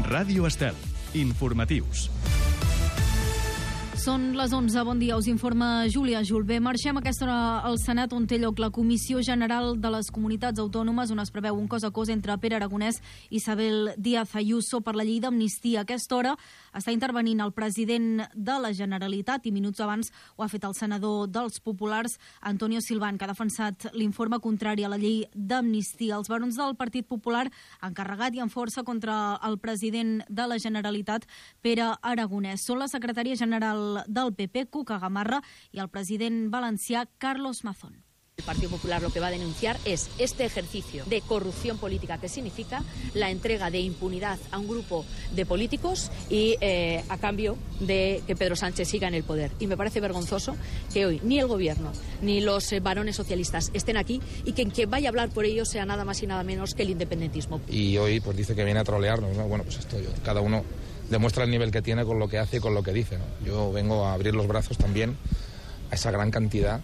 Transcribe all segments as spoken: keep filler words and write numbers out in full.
Ràdio Estel. Informatius. Són les onze, bon dia, us informa Júlia Julbé. Marxem a aquesta hora al Senat, on té lloc la Comissió General de les Comunitats Autònomes, on es preveu un cos a cos entre Pere Aragonès i Isabel Díaz Ayuso per la llei d'amnistia. A aquesta hora està intervenint el president de la Generalitat i minuts abans ho ha fet el senador dels Populars, Antonio Silván, que ha defensat l'informe contrari a la llei d'amnistia. Els barons del Partit Popular han carregat i amb força contra el president de la Generalitat, Pere Aragonès. Són la secretària general del P P, Cuca Gamarra, y al presidente valencià, Carlos Mazón. El Partido Popular lo que va a denunciar es este ejercicio de corrupción política que significa la entrega de impunidad a un grupo de políticos y eh, a cambio de que Pedro Sánchez siga en el poder. Y me parece vergonzoso que hoy ni el gobierno ni los eh, varones socialistas estén aquí y que quien vaya a hablar por ellos sea nada más y nada menos que el independentismo. Y hoy pues dice que viene a trolearnos, ¿no? Bueno, pues esto yo, cada uno demuestra el nivel que tiene con lo que hace y con lo que dice, ¿no? Yo vengo a abrir los brazos también a esa gran cantidad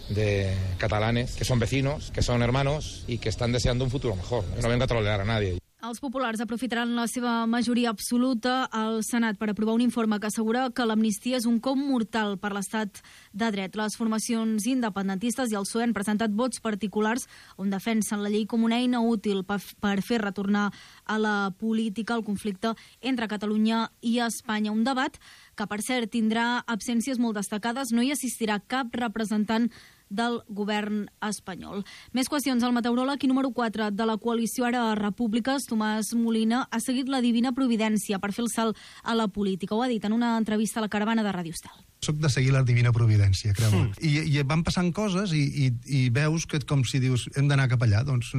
de catalanes que son vecinos, que son hermanos y que están deseando un futuro mejor. Yo no vengo a trolear a nadie. Els populars aprofitaran la seva majoria absoluta al Senat per aprovar un informe que assegura que l'amnistia és un cop mortal per l'estat de dret. Les formacions independentistes i el P S O E han presentat vots particulars on defensen la llei com una eina útil per fer retornar a la política el conflicte entre Catalunya i Espanya. Un debat que, per cert, tindrà absències molt destacades. No hi assistirà cap representant del govern espanyol. Més qüestions. El meteoròleg i número quatre de la coalició Ara Repúbliques, Tomàs Molina, ha seguit la divina providència per fer el salt a la política. Ho ha dit en una entrevista a la Caravana de Ràdio Estel. Soc de seguir la divina providència, creu-me. Mm. I, I van passant coses i, i, i veus que com si dius hem d'anar cap allà. Doncs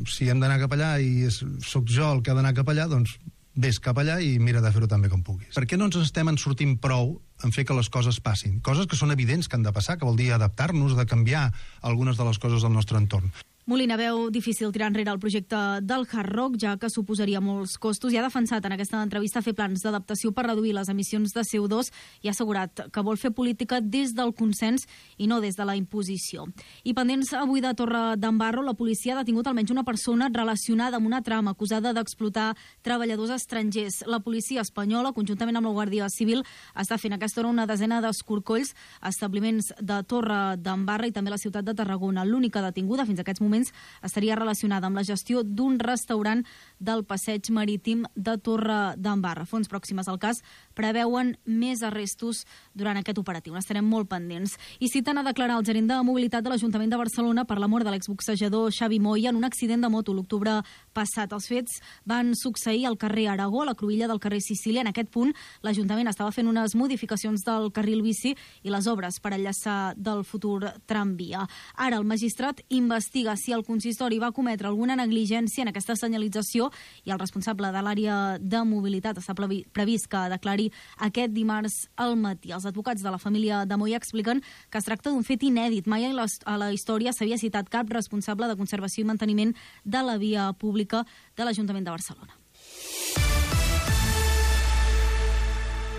si hem d'anar cap allà i és, soc jo el que ha d'anar cap allà, doncs ves cap allà i mira de fer-ho tan bé com puguis. Per què no ens estem en sortint prou en fer que les coses passin? Coses que són evidents que han de passar, que vol dir adaptar-nos, de canviar algunes de les coses del nostre entorn. Molina veu difícil tirar enrere el projecte del Hard Rock, ja que suposaria molts costos, i ha defensat en aquesta entrevista fer plans d'adaptació per reduir les emissions de C O dos i ha assegurat que vol fer política des del consens i no des de la imposició. I pendents avui de Torre d'Embarro, la policia ha detingut almenys una persona relacionada amb una trama acusada d'explotar treballadors estrangers. La policia espanyola, conjuntament amb la Guàrdia Civil, està fent a aquesta hora una desena d'escorcolls a establiments de Torre d'Embarra i també la ciutat de Tarragona. L'única detinguda fins a aquests moments estaria relacionada amb la gestió d'un restaurant del passeig marítim de Torre d'Embarra. Fonts pròximes al cas preveuen més arrestos durant aquest operatiu. N'estarem molt pendents. I citen a declarar el gerent de mobilitat de l'Ajuntament de Barcelona per la mort de l'exboxejador Xavi Moya en un accident de moto l'octubre passat. Els fets van succeir al carrer Aragó, a la cruïlla del carrer Sicília. En aquest punt, l'Ajuntament estava fent unes modificacions del carril bici i les obres per enllaçar del futur tramvia. Ara el magistrat investiga si el consistori va cometre alguna negligència en aquesta senyalització i el responsable de l'àrea de mobilitat està previst que declari aquest dimarts al matí. Els advocats de la família de Moya expliquen que es tracta d'un fet inèdit. Mai a la història s'havia citat cap responsable de conservació i manteniment de la via pública de l'Ajuntament de Barcelona.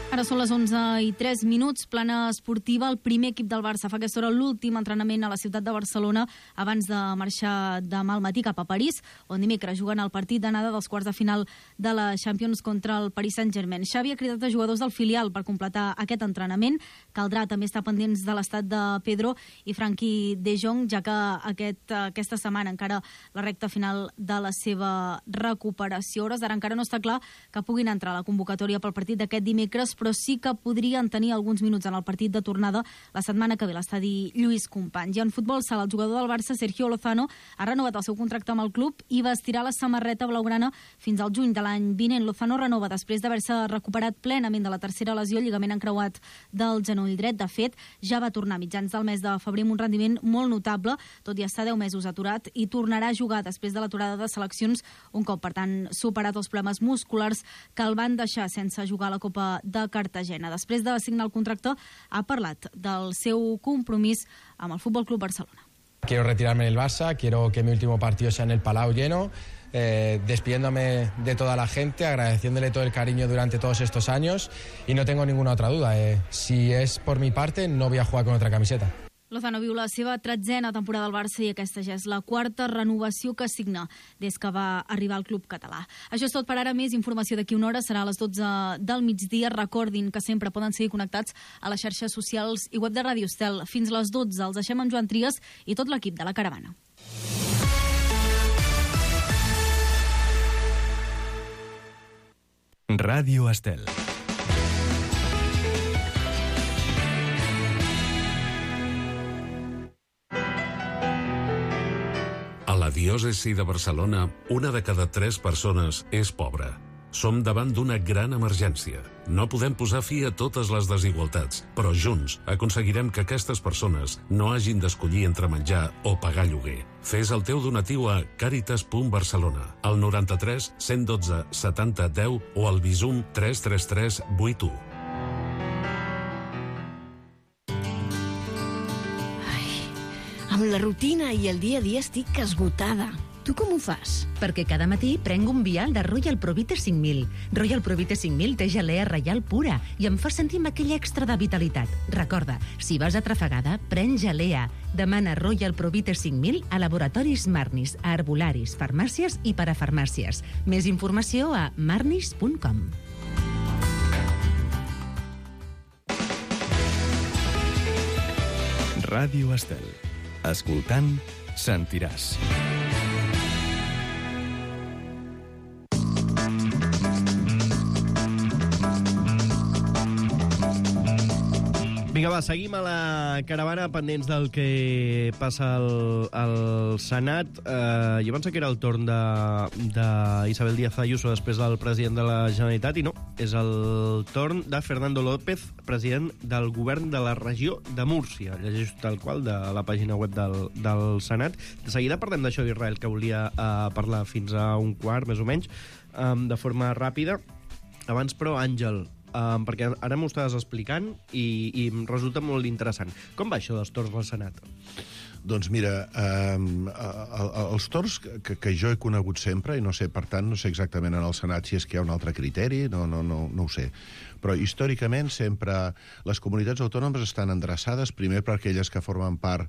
Ara són les onze i tres minuts, plana esportiva. El primer equip del Barça fa aquesta hora l'últim entrenament a la ciutat de Barcelona abans de marxar demà al matí cap a París, on dimecres juguen el partit d'anada dels quarts de final de la Champions contra el Paris Saint-Germain. Xavi ha cridat a jugadors del filial per completar aquest entrenament. Caldrà també estar pendents de l'estat de Pedro i Frenkie de Jong, ja que aquest, aquesta setmana encara la recta final de la seva recuperació. Hores d'ara encara no està clar que puguin entrar a la convocatòria pel partit d'aquest dimecres, però sí que podrien tenir alguns minuts en el partit de tornada la setmana que ve a l'estadi Lluís Companys. I en futbol sala, el jugador del Barça, Sergio Lozano, ha renovat el seu contracte amb el club i vestirà la samarreta blaugrana fins al juny de l'any vinent. Lozano renova després d'haver-se recuperat plenament de la tercera lesió, lligament encreuat del genoll dret. De fet, ja va tornar a mitjans del mes de febrer amb un rendiment molt notable, tot i estar deu mesos aturat, i tornarà a jugar després de l'aturada de seleccions un cop, per tant, superat els problemes musculars que el van deixar sense jugar a la Copa de Cartagena. Després de signar el contracte, ha parlat del seu compromís amb el Fútbol Club Barcelona. Quiero retirarme del Barça, quiero que mi último partido sea en el Palau lleno, eh, despidiéndome de toda la gente, agradeciéndole todo el cariño durante todos estos años y no tengo ninguna otra duda. Eh, si es por mi parte, no voy a jugar con otra camiseta. Lozano viu la seva tretzena temporada al Barça i aquesta ja és la quarta renovació que signa des que va arribar al club català. Això és tot per ara. Més informació d'aquí una hora serà a les dotze del migdia. Recordin que sempre poden seguir connectats a les xarxes socials i web de Ràdio Estel. Fins les dotze els deixem amb Joan Trias i tot l'equip de la Caravana. Ràdio Estel. A la diòcesi de Barcelona, una de cada tres persones és pobra. Som davant d'una gran emergència. No podem posar fi a totes les desigualtats, però junts aconseguirem que aquestes persones no hagin d'escollir entre menjar o pagar lloguer. Fes el teu donatiu a càritas punt barcelona, al noranta-tres cent dotze setanta deu o al Bizum tres tres tres vuit u. Amb la rutina i el dia a dia estic esgotada. Tu com ho fas? Perquè cada matí prenc un vial de Royal Provite cinc mil. Royal Provite cinc mil té gelea reial pura i em fa sentir amb aquell extra de vitalitat. Recorda, si vas atrafegada, pren gelea. Demana Royal Provite cinc mil a laboratoris Marnis, a herbolaris, farmàcies i parafarmàcies. Més informació a marnis punt com. Ràdio Estel. Escoltant, sentiràs. Vinga, va, seguim a la caravana pendents del que passa al, al Senat. Eh, jo penso que era el torn d'Isabel Díaz Ayuso després del president de la Generalitat, i no, és el torn de Fernando López, president del govern de la regió de Múrcia. Llegeixo tal qual de la pàgina web del, del Senat. De seguida parlem d'això d'Israel, que volia eh, parlar fins a un quart, més o menys, eh, de forma ràpida. Abans, però, Àngel, Um, perquè ara m'ho estaves explicant i, i em resulta molt interessant. Com va això dels torns del Senat? Doncs mira, um, els torns que, que jo he conegut sempre, i no sé, per tant, no sé exactament en el Senat si és que hi ha un altre criteri, no, no, no, no ho sé. Però històricament sempre les comunitats autònomes estan endreçades primer per aquelles que formen part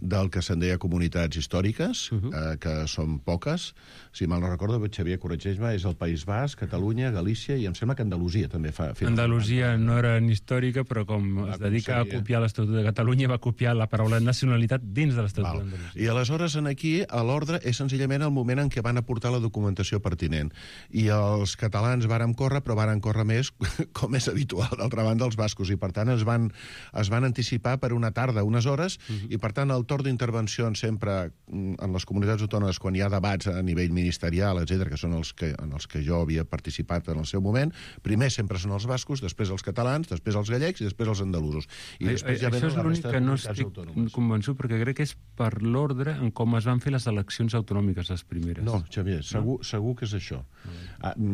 del que se'n deia comunitats històriques, uh -huh. eh, que són poques. Si mal no recordo, Xavier, corregeix-me, és el País Basc, Catalunya, Galícia i em sembla que Andalusia també fa... Andalusia no era ni històrica, però com es dedica a copiar l'Estatut de Catalunya, va copiar la paraula nacionalitat dins de l'Estatut d'Andalusia. I aleshores aquí, a l'ordre, és senzillament el moment en què van aportar la documentació pertinent. I els catalans varen córrer, però varen córrer més, com és habitual, d'altra banda, els bascos, i per tant es van, es van anticipar per una tarda, unes hores, uh-huh. i per tant el torn d'intervencions sempre en les comunitats autònomes, quan hi ha debats a nivell ministerial, etcètera, que són els que, en els que jo havia participat en el seu moment, primer sempre són els bascos, després els catalans, després els gallecs i després els andalusos. I a, després a, ja això és l'únic que no estic autònomes. convençut, perquè crec que és per l'ordre en com es van fer les eleccions autonòmiques, les primeres. No, Xavier, segur, no? segur que és això.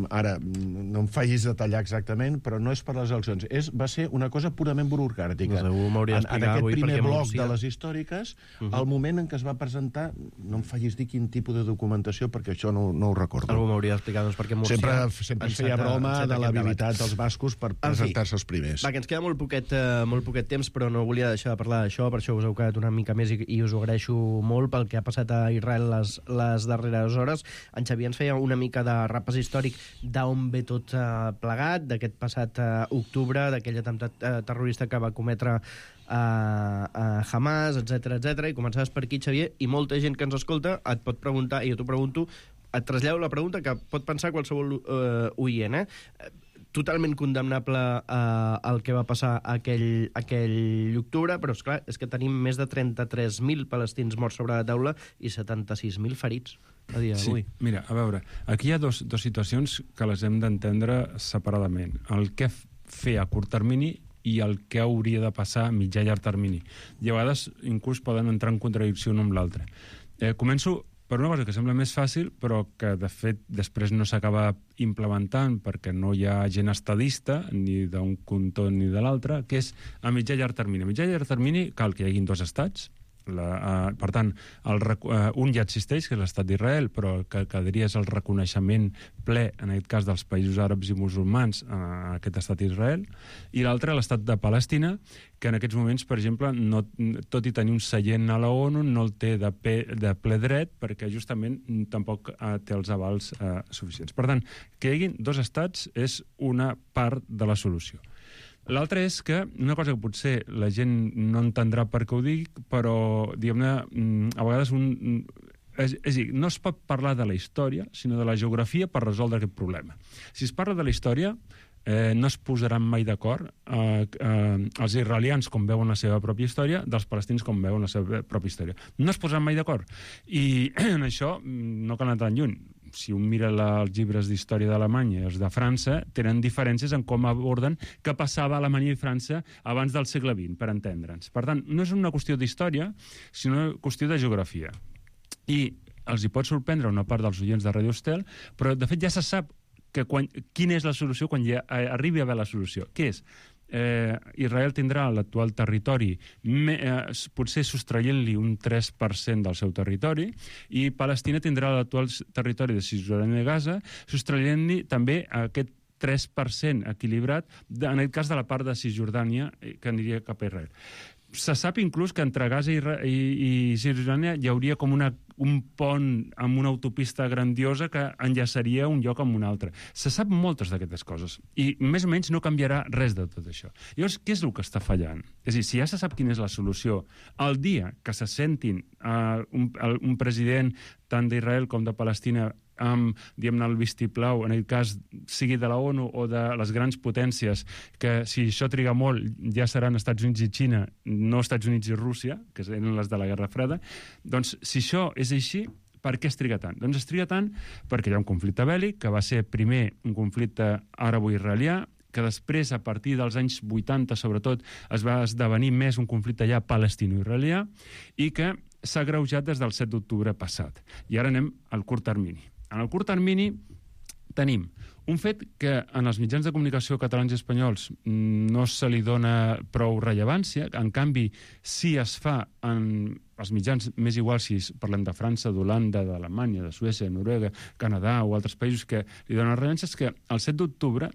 Ara, no em facis detallar exactament, però no és per les eleccions. És, va ser una cosa purament burocràtica. No, en, en aquest primer bloc Múrcia... de les històriques, uh-huh. el moment en què es va presentar, no em facis dir quin tipus de documentació, perquè això no, no ho recordo. Algú m'hauria d'explicar, doncs, perquè Múrcia... Sempre, sempre es feia broma de l'habilitat dels bascos per presentar-se els primers. Va, que ens queda molt poquet, uh, molt poquet temps, però no volia deixar de parlar d'això, per això us heu quedat una mica més i, i us ho agraeixo molt pel que ha passat a Israel les, les darreres hores. En Xavier ens feia una mica de repàs històric d'on ve tot uh, plegat, d'aquest passat uh, octubre, d'aquell atemptat uh, terrorista que va cometre a, a Hamas, etcètera, etcètera, i començaves per aquí, Xavier, i molta gent que ens escolta et pot preguntar, i jo t'ho pregunto, et trasllado la pregunta que pot pensar qualsevol uh, oient, eh? Totalment condemnable eh, el que va passar aquell, aquell octubre, però, esclar, és que tenim més de trenta-tres mil palestins morts sobre la taula i setanta-sis mil ferits a dia d'avui. Sí, mira, a veure, aquí hi ha dos, dos situacions que les hem d'entendre separadament. El que fer a curt termini i el que hauria de passar a mitjà i llarg termini. I a vegades inclús poden entrar en contradicció un amb l'altre. Eh, començo per una cosa que sembla més fàcil, però que, de fet, després no s'acaba implementant perquè no hi ha gent estadista, ni d'un cantó ni de l'altre, que és a mitjà i llarg termini. A mitjà i llarg termini cal que hi hagin dos estats, La, uh, per tant, el, uh, un ja existeix, que és l'estat d'Israel, però el que quedaria és el reconeixement ple, en aquest cas, dels països àrabs i musulmans a aquest estat d'Israel, i l'altre, l'estat de Palestina, que en aquests moments, per exemple, no, tot i tenir un seient a la ONU, no el té de, pe, de ple dret, perquè justament tampoc uh, té els avals uh, suficients. Per tant, que hi hagi dos estats és una part de la solució. L'altre és que, una cosa que potser la gent no entendrà per què ho dic, però, diguem-ne, a vegades un... És, és a dir, no es pot parlar de la història, sinó de la geografia per resoldre aquest problema. Si es parla de la història, eh, no es posaran mai d'acord eh, eh, els israelians com veuen la seva pròpia història dels palestins com veuen la seva pròpia història. No es posaran mai d'acord. I en això no cal anar tan lluny. Si un mira la, els llibres d'història d'Alemanya i els de França, tenen diferències en com aborden què passava a Alemanya i França abans del segle vint, per entendre'ns. Per tant, no és una qüestió d'història, sinó una qüestió de geografia. I els hi pot sorprendre una part dels oients de Radio Estel, però de fet ja se sap que quan, quina és la solució quan ja arribi a haver la solució. Què és? Eh, Israel tindrà l'actual territori me, eh, potser sostraient-li un tres per cent del seu territori, i Palestina tindrà l'actual territori de Cisjordània i Gaza sostraient-li també aquest tres per cent equilibrat, de, en aquest cas de la part de Cisjordània que aniria cap a Israel. Se sap inclús que entre Gaza i, i, i Cisjordània hi hauria com una, un pont amb una autopista grandiosa que enllaçaria un lloc amb un altre. Se sap moltes d'aquestes coses i més o menys no canviarà res de tot això. Llavors, què és el que està fallant? És a dir, si ja se sap quina és la solució, el dia que se sentin uh, un, un president tant d'Israel com de Palestina amb, diguem-ne, el vistiplau, en aquest cas, sigui de la ONU o de les grans potències, que si això triga molt ja seran Estats Units i Xina, no Estats Units i Rússia, que eren les de la Guerra Freda, doncs si això és així, per què es triga tant? Doncs es triga tant perquè hi ha un conflicte bèl·lic, que va ser primer un conflicte àrabo-israelià, que després, a partir dels anys vuitanta, sobretot, es va esdevenir més un conflicte ja palestino-israelià i que s'ha agreujat des del set d'octubre passat. I ara anem al curt termini. En el curt termini tenim un fet que en els mitjans de comunicació catalans i espanyols no se li dona prou rellevància, en canvi sí es fa en els mitjans, més igual si parlem de França, d'Holanda, d'Alemanya, de Suècia, de Noruega, Canadà o altres països que li donen rellevància, és que el set d'octubre,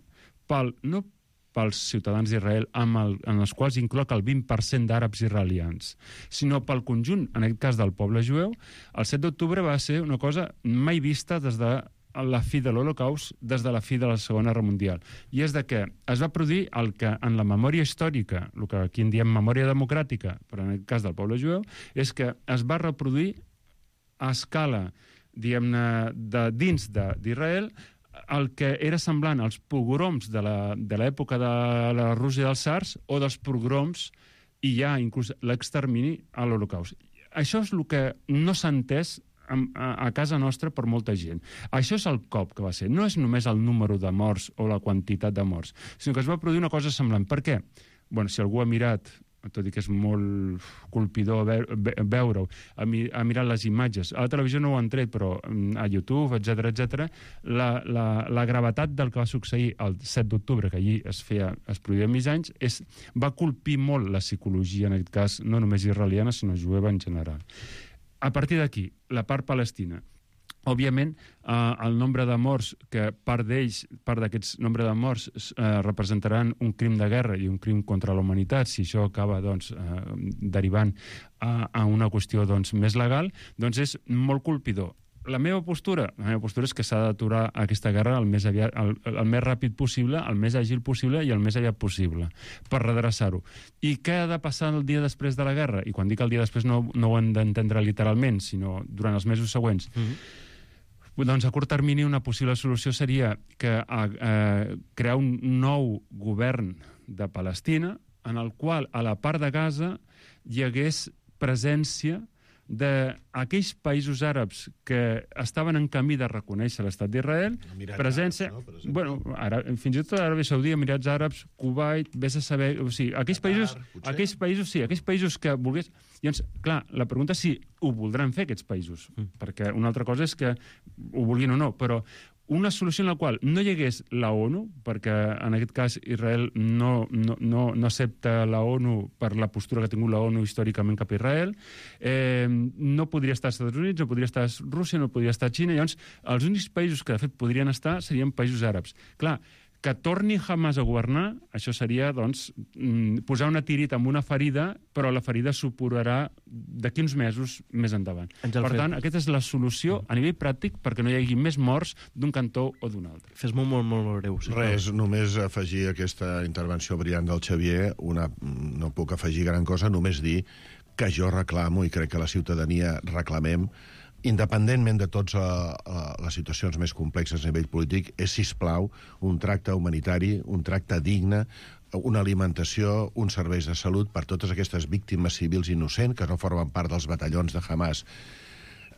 pel, no pels ciutadans d'Israel, amb el, en els quals incloc el vint per cent d'àrabs israelians, sinó pel conjunt, en aquest cas del poble jueu, el set d'octubre va ser una cosa mai vista des de la fi de l'Holocaust, des de la fi de la Segona Guerra Mundial. I és de que es va produir el que en la memòria històrica, el que aquí en diem memòria democràtica, però en el cas del poble jueu, és que es va reproduir a escala, diguem-ne, de dins d'Israel, el que era semblant als pogroms de l'època de la Rússia dels tsars o dels pogroms i ja inclús l'extermini a l'Holocaust. Això és el que no s'ha entès a casa nostra per molta gent. Això és el cop que va ser. No és només el número de morts o la quantitat de morts, sinó que es va produir una cosa semblant. Per què? Bueno, si algú ha mirat, tot i que és molt colpidor veure-ho, ha mirat les imatges. A la televisió no ho han tret, però a YouTube, etcètera, etcètera, la, la, la gravetat del que va succeir el set d'octubre, que allí es feia, es produïa mig anys, és, va colpir molt la psicologia, en aquest cas, no només israeliana, sinó jueva en general. A partir d'aquí, la part palestina. Òbviament, eh, el nombre de morts, que part d'ells, part d'aquests nombre de morts, eh, representaran un crim de guerra i un crim contra la humanitat, si això acaba doncs, eh, derivant a, a una qüestió doncs, més legal, doncs és molt colpidor. La meva postura, la meva postura és que s'ha d'aturar aquesta guerra el més, aviat, el, el més ràpid possible, el més àgil possible i el més aviat possible, per redreçar-ho. I què ha de passar el dia després de la guerra? I quan dic el dia després no, no ho hem d'entendre literalment, sinó durant els mesos següents. Mm-hmm. Doncs a curt termini una possible solució seria que eh, crear un nou govern de Palestina en el qual a la part de Gaza hi hagués presència d'aquells països àrabs que estaven en camí de reconèixer l'estat d'Israel, presència... Àrabs, no? Per bueno, ara, fins i tot Aràbia Saudita, Emirats Àrabs, Kuwait, vés a saber... O sigui, aquells països, aquells països, sí, aquells països que volgués... Llavors, clar, la pregunta és si ho voldran fer aquests països, mm. perquè una altra cosa és que ho vulguin o no, però una solució en la qual no hi hagués la ONU, perquè en aquest cas Israel no, no, no, no accepta la ONU per la postura que ha tingut la ONU històricament cap a Israel, eh, no podria estar als Estats Units, no podria estar a Rússia, no podria estar a Xina, llavors els únics països que de fet podrien estar serien països àrabs. Clar, que torni Hamas a governar, això seria, doncs, posar una tirita amb una ferida, però la ferida s'oporarà d'aquí uns mesos més endavant. Àngel, per tant, fet... aquesta és la solució a nivell pràctic perquè no hi hagi més morts d'un cantó o d'un altre. Fes molt, molt, molt breu. Sí, Res, només afegir aquesta intervenció brillant del Xavier, una, no puc afegir gran cosa, només dir que jo reclamo, i crec que la ciutadania reclamem, independentment de totes uh, uh, les situacions més complexes a nivell polític, és, sisplau, un tracte humanitari, un tracte digne, una alimentació, uns serveis de salut per totes aquestes víctimes civils innocents que no formen part dels batallons de Hamas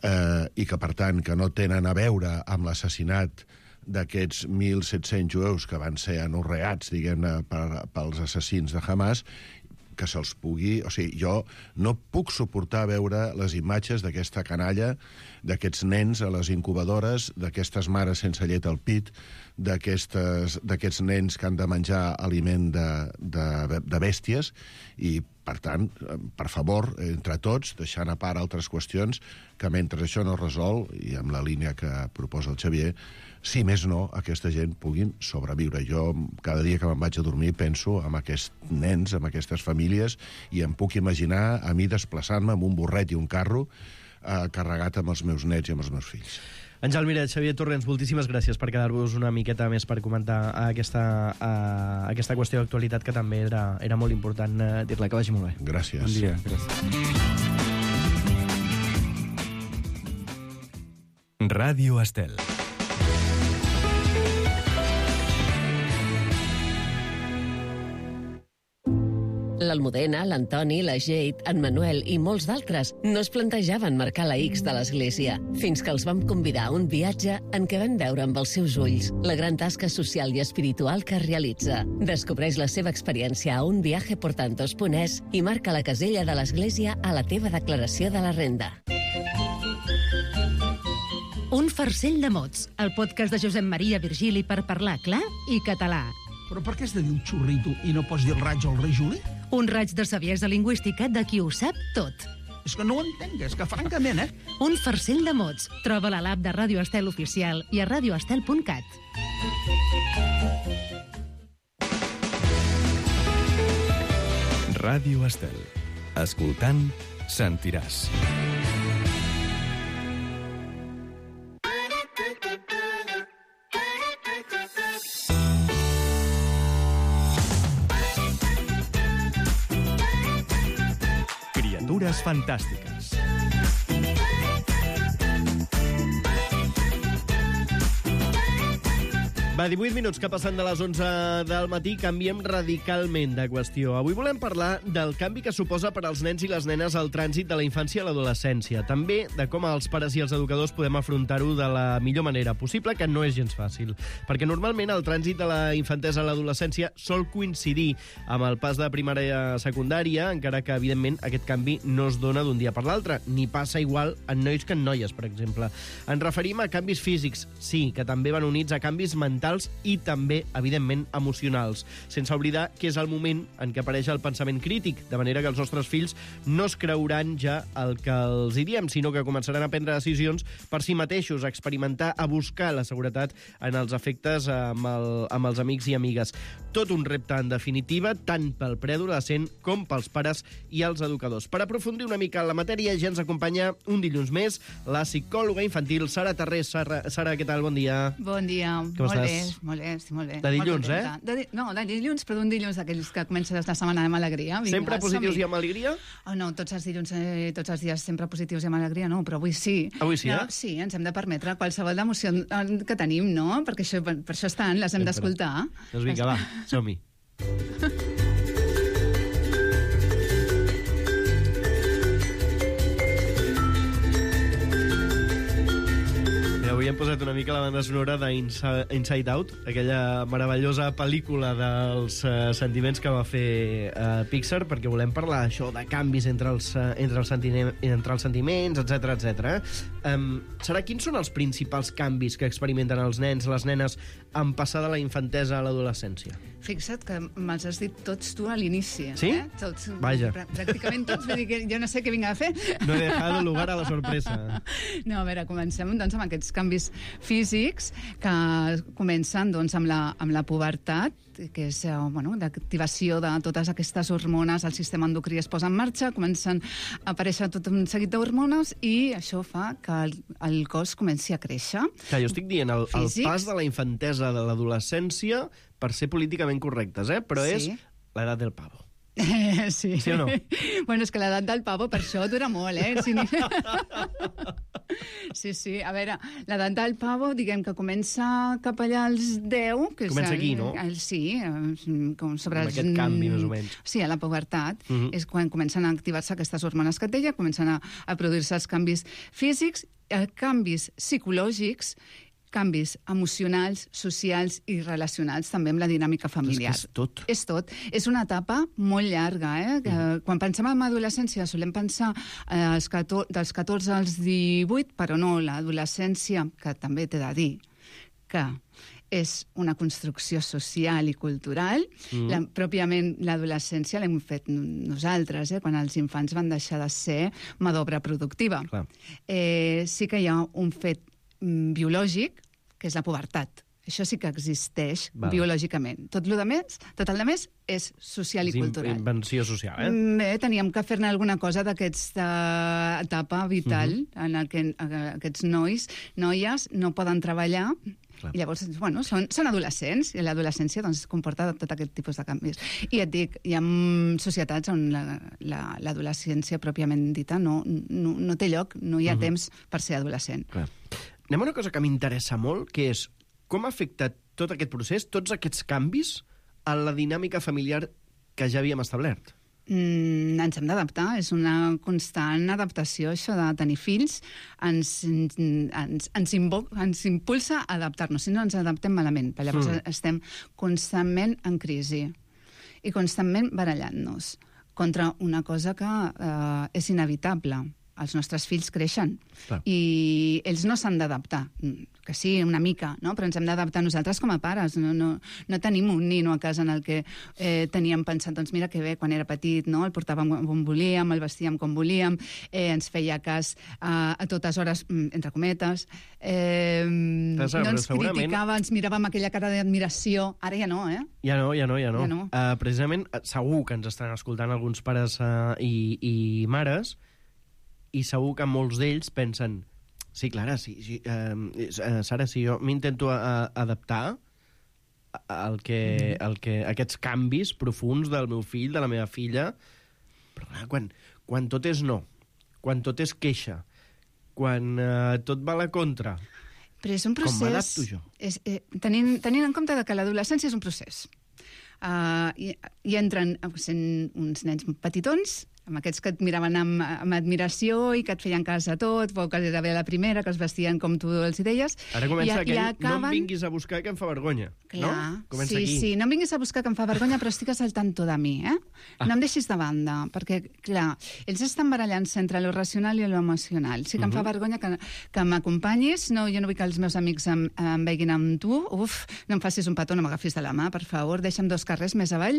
eh, i que, per tant, que no tenen a veure amb l'assassinat d'aquests mil set-cents jueus que van ser anorreats, diguem-ne, per, pels assassins de Hamas, que se'ls pugui... O sigui, jo no puc suportar veure les imatges d'aquesta canalla, d'aquests nens a les incubadores, d'aquestes mares sense llet al pit, d'aquests nens que han de menjar aliment de, de, de bèsties, i, per tant, per favor, entre tots, deixant a part altres qüestions, que mentre això no es resol, i amb la línia que proposa el Xavier, si més no, aquesta gent puguin sobreviure. Jo, cada dia que me'n vaig a dormir, penso en aquests nens, en aquestes famílies, i em puc imaginar a mi desplaçant-me amb un burret i un carro eh, carregat amb els meus nets i amb els meus fills. Àngel Miret, Xavier Torrents, moltíssimes gràcies per quedar-vos una miqueta més per comentar aquesta, uh, aquesta qüestió d'actualitat que també era, era molt important uh, dir-la. Que vagi molt bé. Gràcies. Bon dia. Gràcies. Ràdio Estel. L'Almudena, l'Antoni, la Jade, en Manuel i molts d'altres no es plantejaven marcar la X de l'església, fins que els vam convidar a un viatge en què van veure amb els seus ulls la gran tasca social i espiritual que realitza. Descobreix la seva experiència a unviajeportantos punt es i marca la casella de l'església a la teva declaració de la renda. Un farcell de mots, el podcast de Josep Maria Virgili per parlar clar i català. Però per què has de dir un xurrito i no pots dir el raig al rei Juli? Un raig de saviesa lingüística de qui ho sap tot. És que no ho entenc, és que francament, eh? Un farcell de mots. Troba-la a l'app de Ràdio Estel Oficial i a radioestel punt cat. Ràdio Estel. Escoltant, sentiràs. Criatures fantàstiques. Va, divuit minuts que passen de les onze del matí, canviem radicalment de qüestió. Avui volem parlar del canvi que suposa per als nens i les nenes el trànsit de la infància a l'adolescència. També de com els pares i els educadors podem afrontar-ho de la millor manera possible, que no és gens fàcil. Perquè normalment el trànsit de la infantesa a l'adolescència sol coincidir amb el pas de primària a secundària, encara que, evidentment, aquest canvi no es dona d'un dia per l'altre, ni passa igual en nois que en noies, per exemple. Ens referim a canvis físics, sí, que també van units a canvis mentals i també, evidentment, emocionals, sense oblidar que és el moment en què apareix el pensament crític, de manera que els nostres fills no es creuran ja el que els hi diem, sinó que començaran a prendre decisions per si mateixos, a experimentar, a buscar la seguretat en els afectes amb, el, amb els amics i amigues. Tot un repte, en definitiva, tant pel preadolescent com pels pares i els educadors. Per aprofundir una mica en la matèria, ja ens acompanya un dilluns més la psicòloga infantil Sara Tarrés. Sara, Sara, què tal? Bon dia. Bon dia. Com molt estàs? bé, molt bé, estic molt bé. De dilluns, molt eh? De, no, de dilluns, però d'un dilluns d'aquells que comença la setmana amb alegria. Vinga, sempre positius i amb alegria? Oh, no, tots els dilluns, eh, tots els dies sempre positius i amb alegria, no, però avui sí. Avui sí, no, eh? Sí, ens hem de permetre qualsevol emoció que tenim, no? Perquè això, per, per això estan, les hem d'escoltar. Doncs vinga, va, som-hi. Avui avui hem posat una mica la banda sonora d'Inside Out, aquella meravellosa pel·lícula dels uh, sentiments que va fer uh, Pixar, perquè volem parlar això de canvis entre els, uh, entre els, entre els sentiments, etcètera, etcètera. Um, serà quins són els principals canvis que experimenten els nens, les nenes, en passar de la infantesa a l'adolescència? Fixa't que me'ls has dit tots tu a l'inici. Sí? Eh? Tots, Vaja. Pr pràcticament tots, vull dir que jo no sé què vinc a fer. No he dejado lugar a la sorpresa. No, a veure, comencem doncs, amb aquests canvis físics que comencen doncs, amb, la, amb la pubertat, que és eh, bueno, l'activació de totes aquestes hormones, el sistema endocrí es posa en marxa, comencen a aparèixer tot un seguit d'hormones i això fa que el, el cos comenci a créixer. Que jo estic dient, el, el Físics. pas de la infantesa a l'adolescència, per ser políticament correctes, eh? Però Sí. és l'edat del pavo. Eh, sí. Sí o no? Bueno, és que l'edat del pavo per això dura molt, eh? Sí, sí, sí. A veure, l'edat del pavo, diguem que comença cap allà als deu. Que Comença és el, aquí, no? El, sí, eh, com sobre Amb els... aquest canvi, més o menys. Sí, a la pubertat. Mhm. És quan comencen a activar-se aquestes hormones que et deia, comencen a, a produir-se els canvis físics, eh, canvis psicològics, canvis emocionals, socials i relacionals, també amb la dinàmica familiar. És, que és tot. És tot. És una etapa molt llarga, eh? Que, mm. Quan pensem en adolescència solem pensar eh, als catorze, dels catorze als divuit, però no, l'adolescència, que també t'he de dir que és una construcció social i cultural. Mm. La, pròpiament l'adolescència l'hem fet nosaltres, eh? Quan els infants van deixar de ser mà d'obra productiva. Eh, sí que hi ha un fet mm, biològic, que és la pubertat. Això sí que existeix Val. biològicament. Tot el més, tot el més és social i És in- cultural. invenció social, eh? Bé, teníem que fer-ne alguna cosa d'aquesta etapa vital Mhm. en el que eh, aquests nois, noies, no poden treballar. I llavors, bueno, són, són adolescents, i l'adolescència doncs, comporta tot aquest tipus de canvis. I et dic, hi ha societats on la- la- l'adolescència pròpiament dita no, no, no té lloc, no hi ha Mhm. temps per ser adolescent. Clar. Anem a una cosa que m'interessa molt, que és com ha afectat tot aquest procés, tots aquests canvis, a la dinàmica familiar que ja havíem establert. Mm, ens hem d'adaptar, és una constant adaptació, això de tenir fills, ens, ens, ens, invo, ens impulsa a adaptar-nos, si no ens adaptem malament, perquè llavors Mm. mm. estem constantment en crisi i constantment barallant-nos contra una cosa que eh, és inevitable. Els nostres fills creixen Clar. i ells no s'han d'adaptar, que sí, una mica, no? Però ens hem d'adaptar nosaltres com a pares. No, no, no tenim un nino a casa en el que eh, teníem pensat, doncs mira que bé, quan era petit, no? El portàvem on volíem, el vestíem com volíem, eh, ens feia cas a, a totes hores, mm, entre cometes, eh, Però, no ens segurament- criticava, ens mirava amb aquella cara d'admiració. Ara ja no, eh? Ja no, ja no, ja no. Ja no. Uh, precisament, eh, segur que ens estan escoltant alguns pares uh, i, i mares, i segur que molts d'ells pensen, sí, Clara, sí, sí, uh, Sara, si jo m'intento uh, adaptar al que, al que, a aquests canvis profuns del meu fill, de la meva filla, però clar, quan, quan tot és no, quan tot és queixa, quan uh, tot va a la contra, Però és un procés... com m'adapto jo? És, eh, tenint, tenint en compte que l'adolescència és un procés. Uh, i, I entren sent uns nens petitons, amb aquests que et miraven amb, amb admiració i que et feien cas a tot, o que era bé la primera, que es vestien com tu els hi deies. Ara comença I, aquell, i no acaben... em vinguis a buscar que em fa vergonya. Clar, no? Comença sí, aquí. sí, no em vinguis a buscar que em fa vergonya, però estigues al tanto de mi, eh? Ah. No em deixis de banda, perquè, clar, ells estan barallant-se entre lo racional i lo emocional. Sí que em fa Mhm. vergonya que, que m'acompanyis, no, jo no vull que els meus amics em, em veguin amb tu, uf, no em facis un petó, no m'agafis de la mà, per favor, deixa'm dos carrers més avall.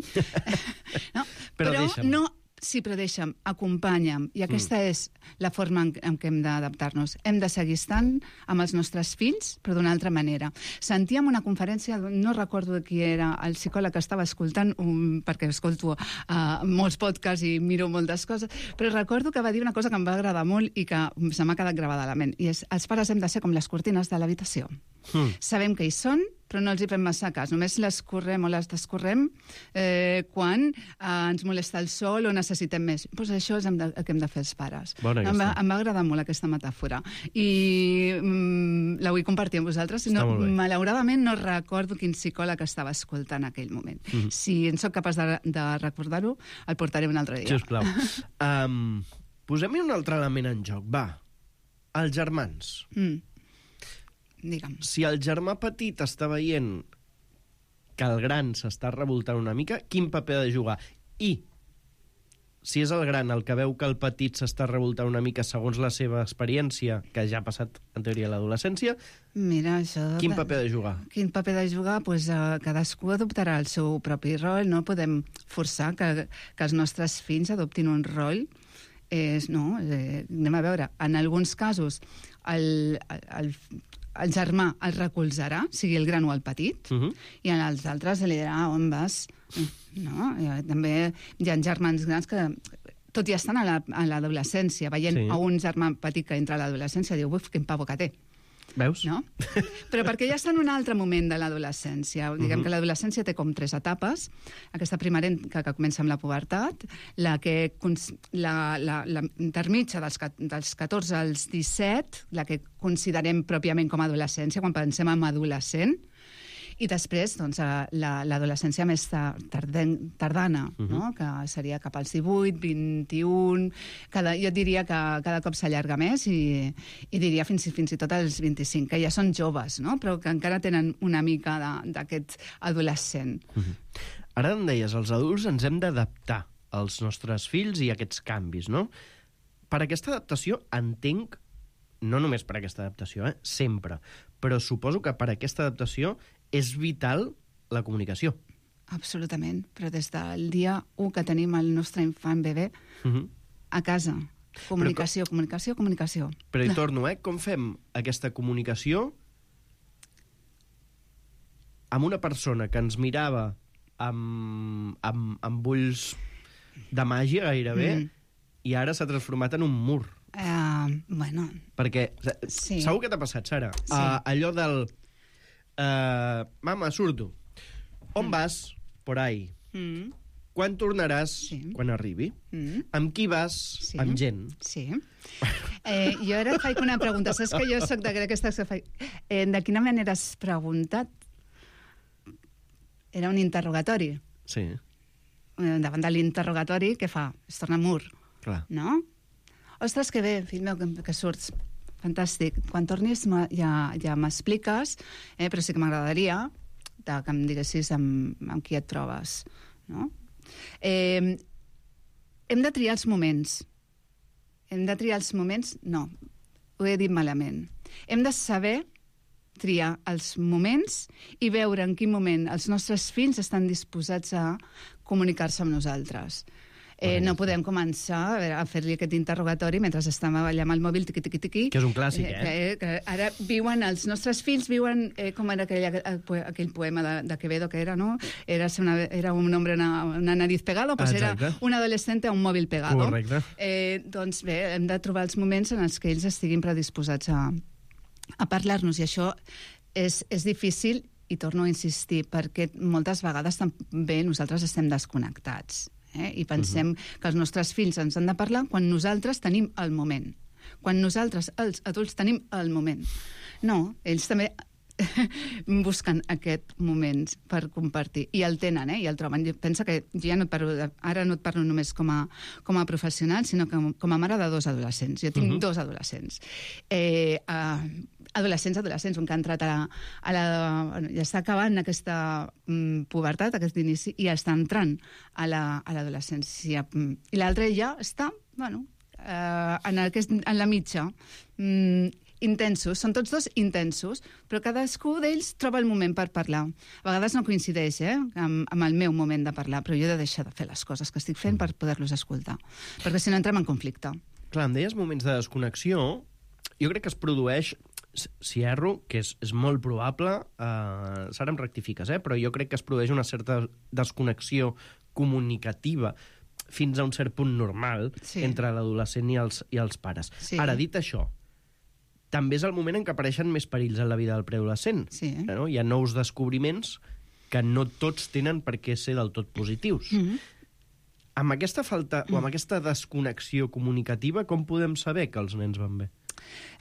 no, Però però deixa'm. no... Sí, però deixa'm, acompanya'm. I aquesta mm. és la forma en, en què hem d'adaptar-nos. Hem de seguir estant amb els nostres fills, però d'una altra manera. Sentíem una conferència, no recordo de qui era, el psicòleg que estava escoltant, um, perquè escolto uh, molts podcasts i miro moltes coses, però recordo que va dir una cosa que em va agradar molt i que se m'ha quedat gravada a la ment, i és els pares hem de ser com les cortines de l'habitació. Mm. Sabem que hi són, però no els hi fem massa cas. Només les correm o les descorrem eh, quan eh, ens molesta el sol o necessitem més. Pues això és el que hem de fer els pares. Bona em, va, aquesta. em va agradar molt aquesta metàfora. I mm, la vull compartir amb vosaltres. Està No, molt bé. malauradament no recordo quin psicòleg estava escoltant en aquell moment. Mhm. Si en sóc capaç de, de recordar-ho, el portaré un altre dia. Sisplau. um, Posem-hi un altre element en joc, va. Els germans. Mm. digue'm. Si el germà petit està veient que el gran s'està revoltant una mica, quin paper ha de jugar? I si és el gran el que veu que el petit s'està revoltant una mica segons la seva experiència, que ja ha passat en teoria a l'adolescència, Mira, això... quin paper ha de jugar? Quin paper ha de jugar? Pues, uh, cadascú adoptarà el seu propi rol, no podem forçar que, que els nostres fills adoptin un rol. És, no, eh, anem a veure, en alguns casos el, el, el germà el recolzarà, sigui el gran o el petit, uh-huh. i en els altres li dirà on vas. No? També hi ha germans grans que, tot i estan a l'adolescència, veient sí. a un germà petit que entra a l'adolescència, diu, uf, quin pavo que té. Veus? No? Però perquè ja està en un altre moment de l'adolescència. Diguem uh-huh. que l'adolescència té com tres etapes. Aquesta primerenca que comença amb la pubertat, la que la, la, la intermitja dels, dels catorze als disset, la que considerem pròpiament com a adolescència, quan pensem en adolescent, i després, doncs, l'adolescència més tarden, tardana, uh-huh. no? Que seria cap als divuit, vint-i-un... Cada, jo diria que cada cop s'allarga més i, i diria fins, fins i tot als vint-i-cinc, que ja són joves, no? Però que encara tenen una mica d'aquest adolescent. Uh-huh. Ara em deies, els adults ens hem d'adaptar als nostres fills i a aquests canvis, no? Per aquesta adaptació entenc, no només per aquesta adaptació, eh? Sempre, però suposo que per aquesta adaptació és vital la comunicació. Absolutament, però des del dia u que tenim el nostre infant bebè uh-huh. a casa. Comunicació, però, comunicació, comunicació. Però hi torno, eh? Com fem aquesta comunicació amb una persona que ens mirava amb, amb, amb ulls de màgia gairebé mm. i ara s'ha transformat en un mur? Uh, bueno... Perquè sí. segur que t'ha passat, Sara? Sí. Uh, allò del... Uh, mama, surto. On mm. vas? Por ahí. Mm. Quan tornaràs? Sí. Quan arribi. Mm. Amb qui vas? Sí. Amb gent. Sí. Eh, jo ara et faig una pregunta. Saps que jo soc d'aquestes que faig... Eh, de quina manera has preguntat? Era un interrogatori. Sí. Eh, davant de l'interrogatori, què fa? Es torna mur. Clar. No? Ostres, que bé, fill meu, que, que surts. Fantàstic. Quan tornis ja, ja m'expliques, eh, però sí que m'agradaria que em diguessis amb, amb qui et trobes. No? Eh, hem de triar els moments. Hem de triar els moments? No, ho he dit malament. Hem de saber triar els moments i veure en quin moment els nostres fills estan disposats a comunicar-se amb nosaltres. Eh, no podem començar a, veure, a fer-li aquest interrogatori mentre estem allà amb el mòbil tiqui-tiqui-tiqui. Que és un clàssic, eh? eh? Que, que ara viuen, els nostres fills viuen, eh, com era aquell, aquell poema de, de Quevedo que era, no? Era, una, era un hombre, una, una nariz pegado, pues era un adolescente a un mòbil pegado. Correcte. Eh, doncs bé, hem de trobar els moments en els que ells estiguin predisposats a, a parlar-nos, i això és, és difícil, i torno a insistir, perquè moltes vegades també nosaltres estem desconnectats. Eh? I pensem uh-huh. que els nostres fills ens han de parlar quan nosaltres tenim el moment. Quan nosaltres, els adults, tenim el moment. No, ells també busquen aquest moment per compartir. I el tenen, eh? I el troben. Pensa que jo ja no et parlo de, ara no et parlo només com a, com a professional, sinó com, com a mare de dos adolescents. Jo tinc uh-huh. dos adolescents. Eh, uh, adolescents, adolescents, un que ha entrat a la... A la bueno, ja està acabant aquesta um, pubertat, aquest inici, i està entrant a l'adolescència. La, I l'altre ja està, bueno, uh, en, aquest, en la mitja. Um, intensos, són tots dos intensos, però cadascú d'ells troba el moment per parlar. A vegades no coincideix eh, amb, amb el meu moment de parlar, però jo he de deixar de fer les coses que estic fent per poder-los escoltar, perquè si no entrem en conflicte. Clar, em deies moments de desconnexió, jo crec que es produeix, si erro, que és, és molt probable, eh, Sara, em rectifiques, eh, però jo crec que es produeix una certa desconnexió comunicativa fins a un cert punt normal sí. entre l'adolescent i els, i els pares. Sí. Ara, dit això, també és el moment en què apareixen més perills en la vida del preadolescent. Sí. No? Hi ha nous descobriments que no tots tenen per què ser del tot positius. Mm-hmm. Amb aquesta falta mm. o amb aquesta desconnexió comunicativa, com podem saber que els nens van bé?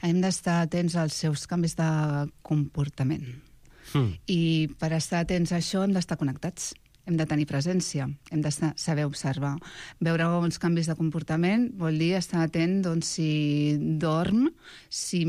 Hem d'estar atents als seus canvis de comportament. Mm. I per estar atents a això hem d'estar connectats. hem de tenir presència, hem de saber observar. Veure els canvis de comportament vol dir estar atent, doncs, si dorm, si,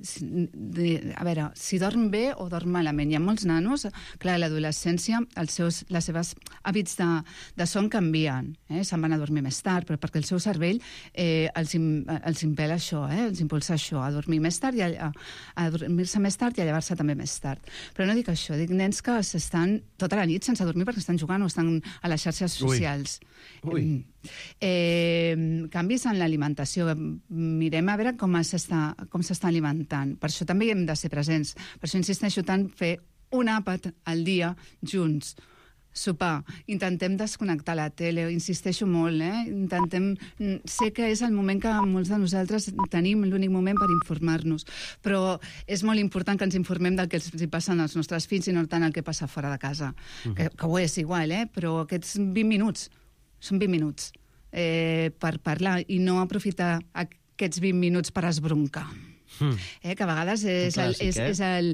si de, a veure, si dorm bé o dorm malament. Hi ha molts nanos, clar, a l'adolescència, els seus, les seves hàbits de, de son canvien, eh? Se'n van a dormir més tard, però perquè el seu cervell eh, els, els impela això, eh? Els impulsa això, a dormir més tard i a, a dormir-se més tard i a llevar-se també més tard. Però no dic això, dic nens que s'estan tota la nit sense dormir perquè estan jugant o estan a les xarxes socials. Ui. Ui. Eh, canvis en l'alimentació. Mirem a veure com s'està com s'està alimentant. Per això també hi hem de ser presents. Per això insisteixo tant fer un àpat al dia junts. Sopar, intentem desconnectar la tele, insisteixo molt, eh? Intentem... Sé que és el moment que molts de nosaltres tenim, l'únic moment per informar-nos, però és molt important que ens informem del que els passa als nostres fills i no tant el que passa fora de casa, uh-huh. que, que ho és igual, eh? Però aquests vint minuts, són vint minuts eh, per parlar i no aprofitar aquests vint minuts per esbroncar. Mm. Eh, que a vegades és el, clàssic, és, eh? és el,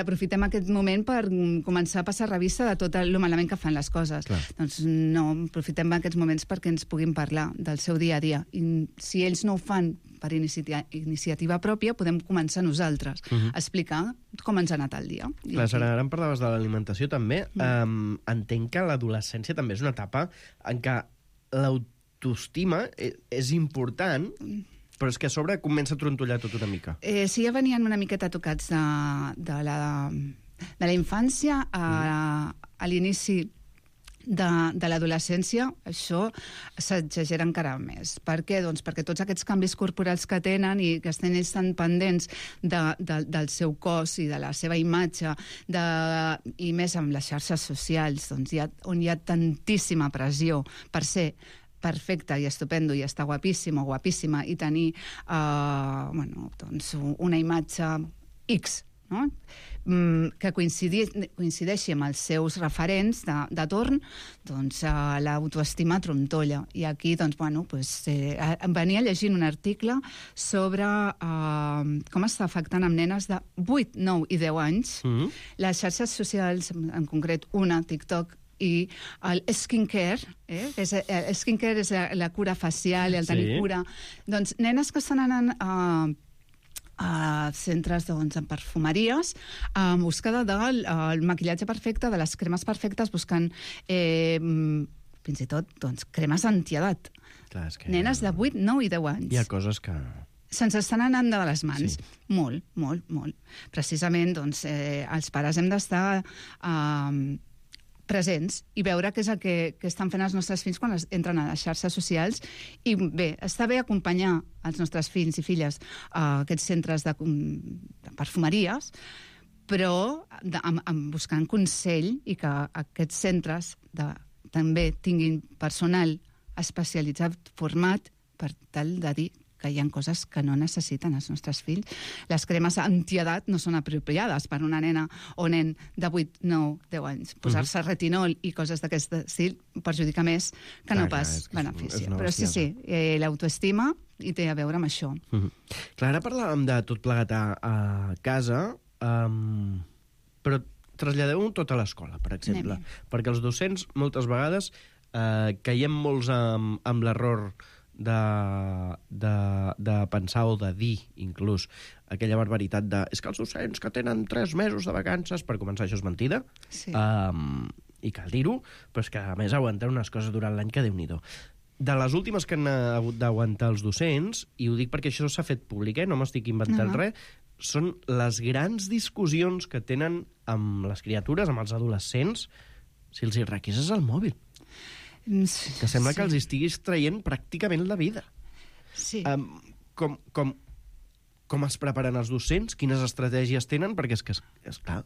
aprofitem aquest moment per començar a passar revista de tot el malament que fan les coses. Clar. Doncs no, aprofitem aquests moments perquè ens puguin parlar del seu dia a dia. I si ells no ho fan per inicia iniciativa pròpia, podem començar nosaltres uh -huh. a explicar com ens ha anat el dia. Clar, Sara, ara em parlaves de l'alimentació també. Mm. Um, entenc que l'adolescència també és una etapa en què l'autoestima és important, però és que a sobre comença a trontollar tot una mica. Eh, sí, ja venien una miqueta tocats de, de la, de la infància a, a l'inici de, de l'adolescència, això s'exagera encara més. Per què? Doncs perquè tots aquests canvis corporals que tenen i que estan ells tan pendents de, de, del seu cos i de la seva imatge, de, i més amb les xarxes socials, doncs hi ha, on hi ha tantíssima pressió per ser perfecte i estupendo i estar guapíssim o guapíssima i tenir uh, bueno, doncs una imatge X, no? Mm, que coincideixi, coincideixi amb els seus referents de, de torn, doncs uh, l'autoestima trontolla. I aquí, doncs, bueno, pues, eh, venia llegint un article sobre uh, com està afectant amb nenes de vuit, nou i deu anys mm-hmm. les xarxes socials, en concret una, TikTok, i el skincare, eh? és, el skincare és la, la cura facial, el tenir sí. cura. Doncs nenes que estan anant a, a centres doncs, en perfumeries en buscada del el maquillatge perfecte, de les cremes perfectes, buscant eh, fins i tot doncs, cremes antiedat. Clar, és que... Nenes de vuit, nou i deu anys. Hi ha coses que... se'ns estan anant de les mans. Sí. Molt, molt, molt. Precisament, doncs, eh, els pares hem d'estar... Eh, presents i veure què és el que, que estan fent els nostres fills quan es, entren a les xarxes socials. I bé, està bé acompanyar els nostres fills i filles a aquests centres de, de perfumeries, però de, amb, amb buscant consell i que aquests centres de, també tinguin personal especialitzat, format, per tal de dir que hi ha coses que no necessiten els nostres fills. Les cremes antiedat no són apropiades per una nena o nen de vuit, nou, deu anys. Posar-se uh-huh. retinol i coses d'aquest estil perjudica més que no clar, pas clar, beneficia. Però sí, sí, eh, l'autoestima hi té a veure amb això. Uh-huh. Clar, ara parlàvem de tot plegat a, a casa, um, però traslladeu-ho tot a l'escola, per exemple. Anem. Perquè els docents, moltes vegades, eh, caiem molts amb, amb l'error De, de, de pensar o de dir, inclús, aquella barbaritat de és que els docents que tenen tres mesos de vacances, per començar, això és mentida, sí. um, i cal dir-ho, però és que, a més, aguanten unes coses durant l'any que Déu-n'hi-do. De les últimes que han hagut d'aguantar els docents, i ho dic perquè això s'ha fet públic, eh? No m'estic inventant uh-huh. res, són les grans discussions que tenen amb les criatures, amb els adolescents, si els hi requises el mòbil. Que sembla sí. que els estiguis traient pràcticament la vida. Sí. Um, com, com, com es preparen els docents? Quines estratègies tenen? Perquè és que, és, és clar,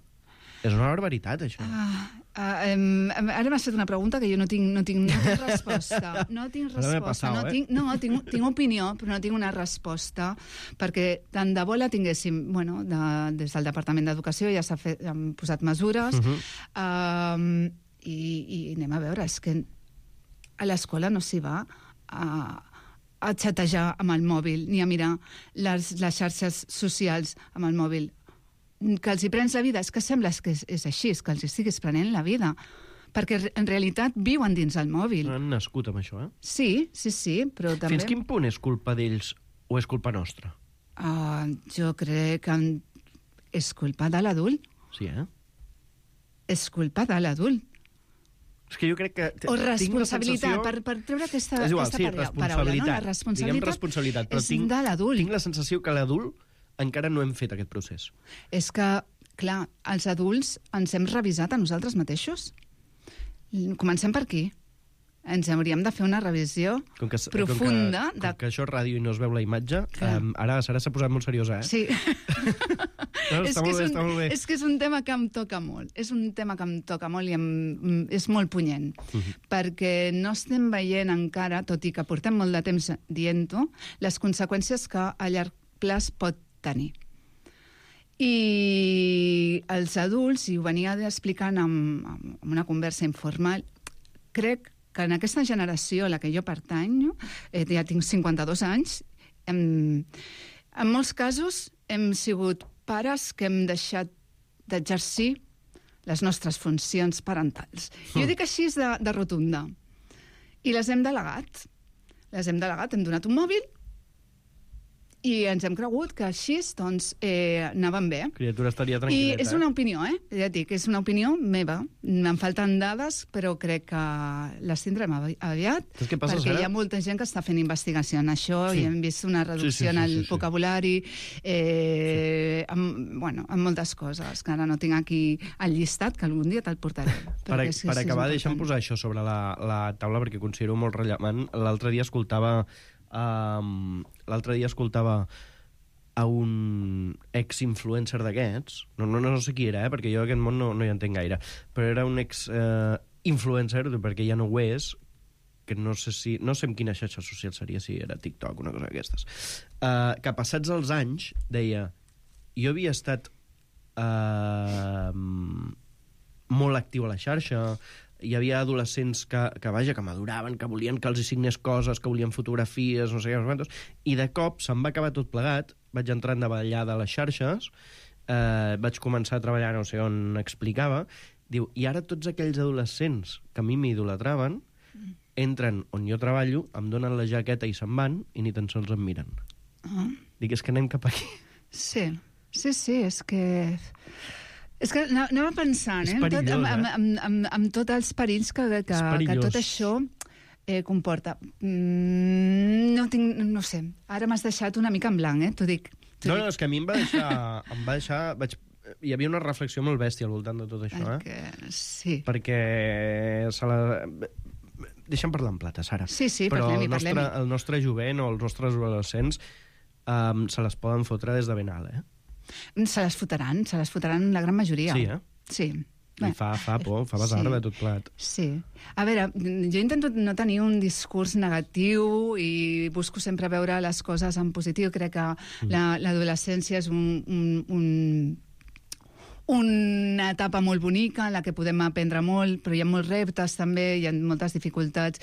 és una barbaritat, això. Uh, uh, um, ara m'has fet una pregunta que jo no tinc, no tinc, no tinc resposta. No tinc resposta. Passau, no, eh? tinc, no tinc, tinc opinió, però no tinc una resposta, perquè tant de bo la tinguéssim, bueno, de, des del Departament d'Educació ja s'ha posat mesures, uh-huh. um, i, i anem a veure, és que a l'escola no s'hi va a, a xatejar amb el mòbil, ni a mirar les, les xarxes socials amb el mòbil. Que els hi prens la vida, és que sembla que és, és així, és que els hi estiguis prenent la vida. perquè en realitat viuen dins el mòbil. Han nascut amb això, eh? Sí, sí, sí, però també... Fins quin punt és culpa d'ells o és culpa nostra? Uh, jo crec que és culpa de l'adult. Sí, eh? És culpa de l'adult. És que jo crec que... O responsabilitat, sensació... per, per treure aquesta, és igual, aquesta sí, paraula, responsabilitat. no? La responsabilitat, Diguem responsabilitat, però és tinc, de l'adult. Tinc la sensació que l'adult encara no hem fet aquest procés. És que, clar, els adults ens hem revisat a nosaltres mateixos. Comencem per aquí. Ens hauríem de fer una revisió com que, profunda. Com que, de... com que això és ràdio i no es veu la imatge, um, ara Sara s'ha posat molt seriosa, eh? Sí. No, és, està que molt és, bé, un, està molt bé. és que és un tema que em toca molt. És un tema que em toca molt i em, és molt punyent. Uh-huh. Perquè no estem veient encara, tot i que portem molt de temps dient-ho, les conseqüències que a llarg plaç pot tenir. I els adults, i ho venia explicant en, en una conversa informal, crec que en aquesta generació a la que jo pertanyo, eh, ja tinc cinquanta-dos anys, em, en molts casos hem sigut pares que hem deixat d'exercir les nostres funcions parentals. Mm. Jo dic així de, de rotunda. I les hem delegat. Les hem delegat, hem donat un mòbil i ens hem cregut que així doncs, eh, anaven bé. Criatura estaria tranquil·leta. I és una opinió, eh? Ja et dic, és una opinió meva. Me'n falten dades, però crec que les tindrem aviat, què passa, perquè Sara? hi ha molta gent que està fent investigació en això Sí. i hem vist una reducció Sí, sí, sí, en el sí, sí. vocabulari, eh, sí. amb, bueno, amb moltes coses, que ara no tinc aquí el llistat, que algun dia te'l portaré. Per, és, per és acabar, important. deixa'm posar això sobre la, la taula perquè considero molt rellevant. L'altre dia escoltava um, l'altre dia escoltava a un ex-influencer d'aquests, no, no, no sé qui era, eh, perquè jo aquest món no, no hi entenc gaire, però era un ex-influencer, eh, perquè ja no ho és, que no sé si... No sé en quina xarxa social seria, si era TikTok, una cosa d'aquestes. Uh, que passats els anys, deia, jo havia estat uh, molt actiu a la xarxa, hi havia adolescents que, que, vaja, que m'adoraven, que volien que els hi signés coses, que volien fotografies, no sé què, no sé quantos, i de cop se'm va acabar tot plegat, vaig entrar en davallada a les xarxes, eh, vaig començar a treballar no sé on explicava, diu, i ara tots aquells adolescents que a mi m'idolatraven entren on jo treballo, em donen la jaqueta i se'n van i ni tan sols em miren. Ah. Dic, és que anem cap aquí. Sí, sí, sí, és que... És que anava pensant, eh? És perillós, tot, amb, eh? amb, amb, amb tots els perills que, que, que tot això eh, comporta. Mm, no tinc... No sé. Ara m'has deixat una mica en blanc, eh? T'ho dic. No, no, és que a mi em va deixar... em va deixar vaig, hi havia una reflexió molt bèstia al voltant de tot això, eh? Que, sí. Perquè se la... Deixa'm parlar en plata, Sara. Sí, sí, però parlem-hi, el nostre, parlem-hi. el nostre jovent o els nostres adolescents um, se les poden fotre des de ben alt, eh? Se les fotran, se les fotran la gran majoria. Sí, eh? Sí. I fa, fa por, fa basarda Sí. tot plat. Sí. A veure, jo intento no tenir un discurs negatiu i busco sempre veure les coses en positiu. Crec que Mm. la- l'adolescència és un, un, un, una etapa molt bonica en la que podem aprendre molt, però hi ha molts reptes també, hi ha moltes dificultats,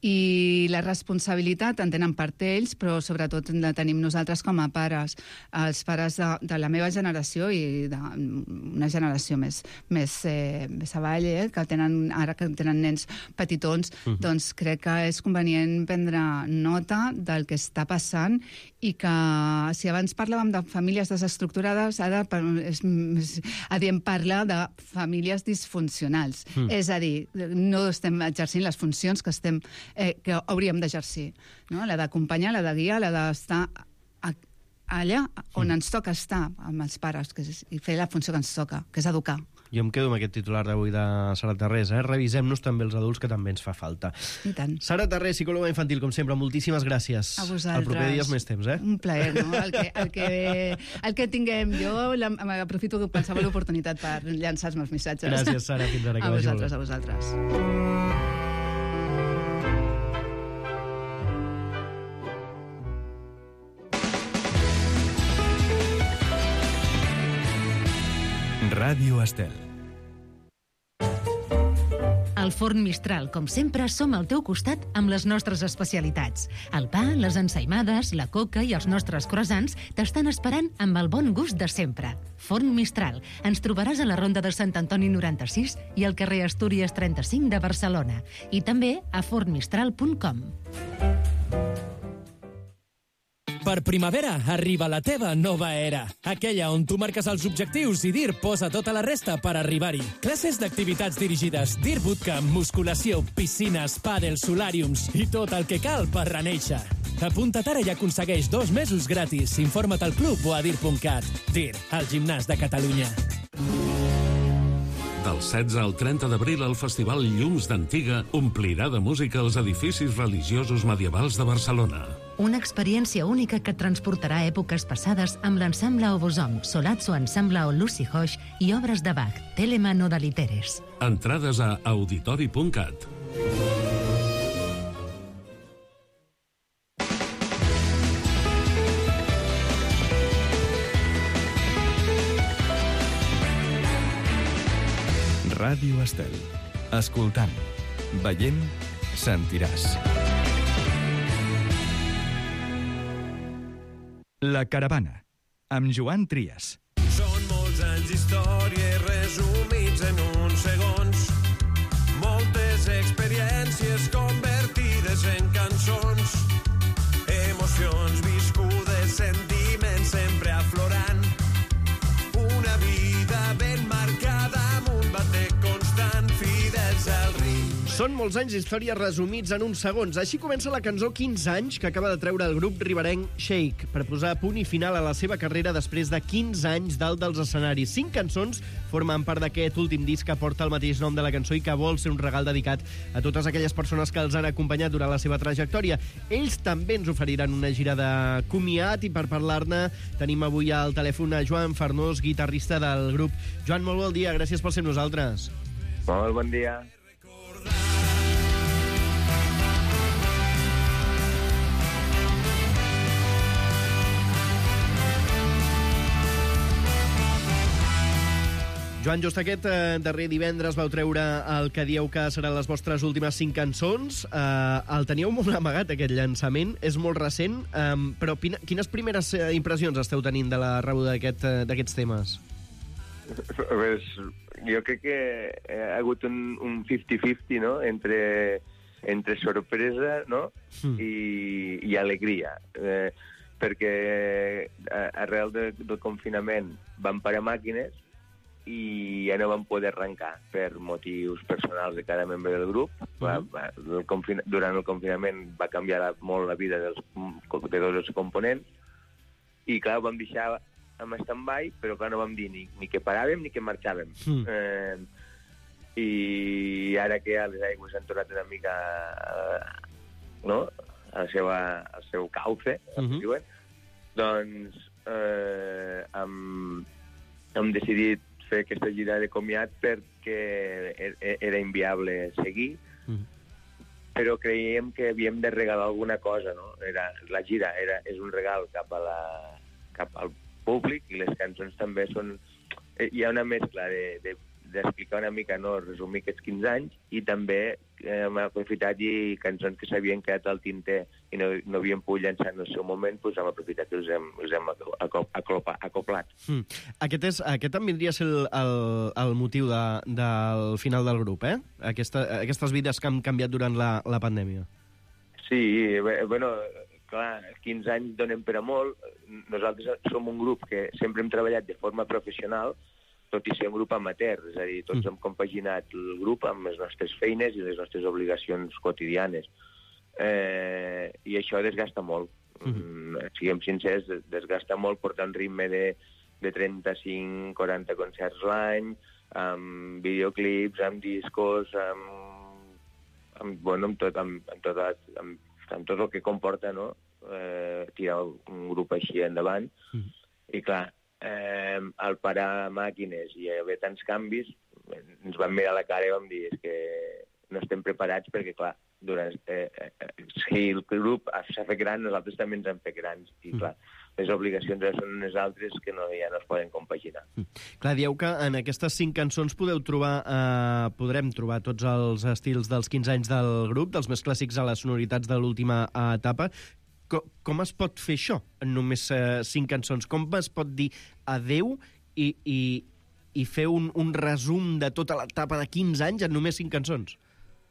i la responsabilitat en tenen part ells, però sobretot la tenim nosaltres com a pares, els pares de, de la meva generació i d'una generació més, més, eh, més avall, eh, que tenen, ara que tenen nens petitons, Mhm. doncs crec que és convenient prendre nota del que està passant i que si abans parlàvem de famílies desestructurades, ara per- és, és, adiem parlar de famílies disfuncionals. Mm. És a dir, no estem exercint les funcions que estem eh, que hauríem d'exercir, no? La d'acompanyar, la de guiar, la d'estar a, allà on ens toca estar amb els pares, que és, i fer la funció que ens toca, que és educar. Jo em quedo amb aquest titular d'avui de Sara Tarrés, eh? Revisem-nos també els adults, que també ens fa falta. I tant. Sara Tarrés, psicòloga infantil, com sempre, moltíssimes gràcies. A vosaltres. El proper dia és més temps, eh? Un plaer, no? El que, el que, el que tinguem jo, la- aprofito qualsevol oportunitat per llançar els meus missatges. Gràcies, Sara. Fins ara, que A vagi molt vosaltres, bé. a vosaltres. Ràdio Estel. El Al Forn Mistral, com sempre, som al teu costat amb les nostres especialitats. El pa, les ensaïmades, la coca i els nostres croissants t'estan esperant amb el bon gust de sempre. Forn Mistral. Ens trobaràs a la Ronda de Sant Antoni noranta-sis i al carrer Astúries trenta-cinc de Barcelona. I també a forn mistral punt com. Per primavera arriba la teva nova era. Aquella on tu marques els objectius i D I R posa tota la resta per arribar-hi. Classes d'activitats dirigides, D I R Bootcamp, musculació, piscines, pàdel, solàriums i tot el que cal per renéixer. Apunta't ara i aconsegueix dos mesos gratis. Informa't al club o a dir punt cat. D I R, el gimnàs de Catalunya. Del setze al trenta d'abril, el Festival Llums d'Antiga omplirà de música els edificis religiosos medievals de Barcelona. Una experiència única que et transportarà a èpoques passades amb l'ensemble Obosom, Solazzo Ensemble o Lucy Hosh i obres de Bach, Telemann o Dalitteres. Entrades a auditori punt cat. Ràdio Estel. Escoltant, veient, sentiràs. La caravana, amb Joan Trias. Són molts anys d'història resumits en uns segons. Moltes experiències convertides en cançons. Emocions viscudes, sentiments sempre aflorant. Una vida ben marcada amb un bater constant, fidels al ritme. Són molts anys d'història resumits en uns segons. Així comença la cançó quinze anys que acaba de treure el grup riberenc Shake per posar punt i final a la seva carrera després de quinze anys dalt dels escenaris. Cinc cançons formen part d'aquest últim disc que porta el mateix nom de la cançó i que vol ser un regal dedicat a totes aquelles persones que els han acompanyat durant la seva trajectòria. Ells també ens oferiran una gira de comiat i per parlar-ne tenim avui al telèfon a Joan Farnós, guitarrista del grup. Joan, molt bon dia, gràcies per ser amb nosaltres. Molt bon dia. Joan, just aquest eh, darrer divendres vau treure el que dieu que seran les vostres últimes cinc cançons. Eh, el teníeu molt amagat, aquest llançament. És molt recent, eh, però pina, quines primeres eh, impressions esteu tenint de la rebuda d'aquest, eh, d'aquests temes? Pues, jo crec que ha hagut un, un cinquanta-cinquanta, no?, entre, entre sorpresa, no?, mm. i, i alegria. Eh, perquè arrel de, del confinament van parar màquines i ja no vam poder arrencar per motius personals de cada membre del grup. Va, va, el confin... Durant el confinament va canviar la, molt la vida dels, de tots els components i, clar, ho vam deixar en stand-by, però, clar, no vam dir ni, ni que paràvem ni que marxàvem. Mm. Eh, I ara que ja les aigües han tornat una mica eh, no? a la seva, al seu cauce, mm-hmm. diuen, doncs eh, hem, hem decidit fer aquesta gira de comiat perquè era inviable seguir, mm. però creiem que havíem de regalar alguna cosa, no? Era, la gira era, és un regal cap, a la, cap al públic i les cançons també són... Hi ha una mescla de, de, d'explicar una mica, no, resumir aquests quinze anys i també eh, hem aprofitat i cançons que s'havien quedat al tinter i no, no havien pogut llançar en el seu moment, doncs hem aprofitat i els hem, els hem acoplat. Mm. Aquest, és, aquest també vindria a ser el, el, el motiu de, del final del grup, eh? Aquesta, aquestes vides que han canviat durant la, la pandèmia. Sí, bé, bueno, clar, quinze anys donen per a molt. Nosaltres som un grup que sempre hem treballat de forma professional, tot i ser un grup amateur, és a dir, tots mm. hem compaginat el grup amb les nostres feines i les nostres obligacions quotidianes. Eh, I això desgasta molt. Mm. Siguem sincers, desgasta molt portar un ritme de, de trenta-cinc a quaranta concerts l'any, amb videoclips, amb discos, amb, amb, bueno, amb, tot, amb, amb, tot, amb, amb tot el que comporta, no?, eh, tirar un grup així endavant. Mm. I clar, eh, al parar màquines i haver tants canvis, ens vam mirar a la cara i vam dir és que no estem preparats perquè, clar, durant, eh, eh, si el grup s'ha fet gran, nosaltres també ens hem fet grans. I, clar, les obligacions són unes altres que no, ja no es poden compaginar. Mm. Clar, dieu que en aquestes cinc cançons podeu trobar, eh, podrem trobar tots els estils dels quinze anys del grup, dels més clàssics a les sonoritats de l'última etapa. Com, com es pot fer això en només eh, cinc cançons? Com es pot dir adeu i, i, i fer un, un resum de tota l'etapa de quinze anys en només cinc cançons?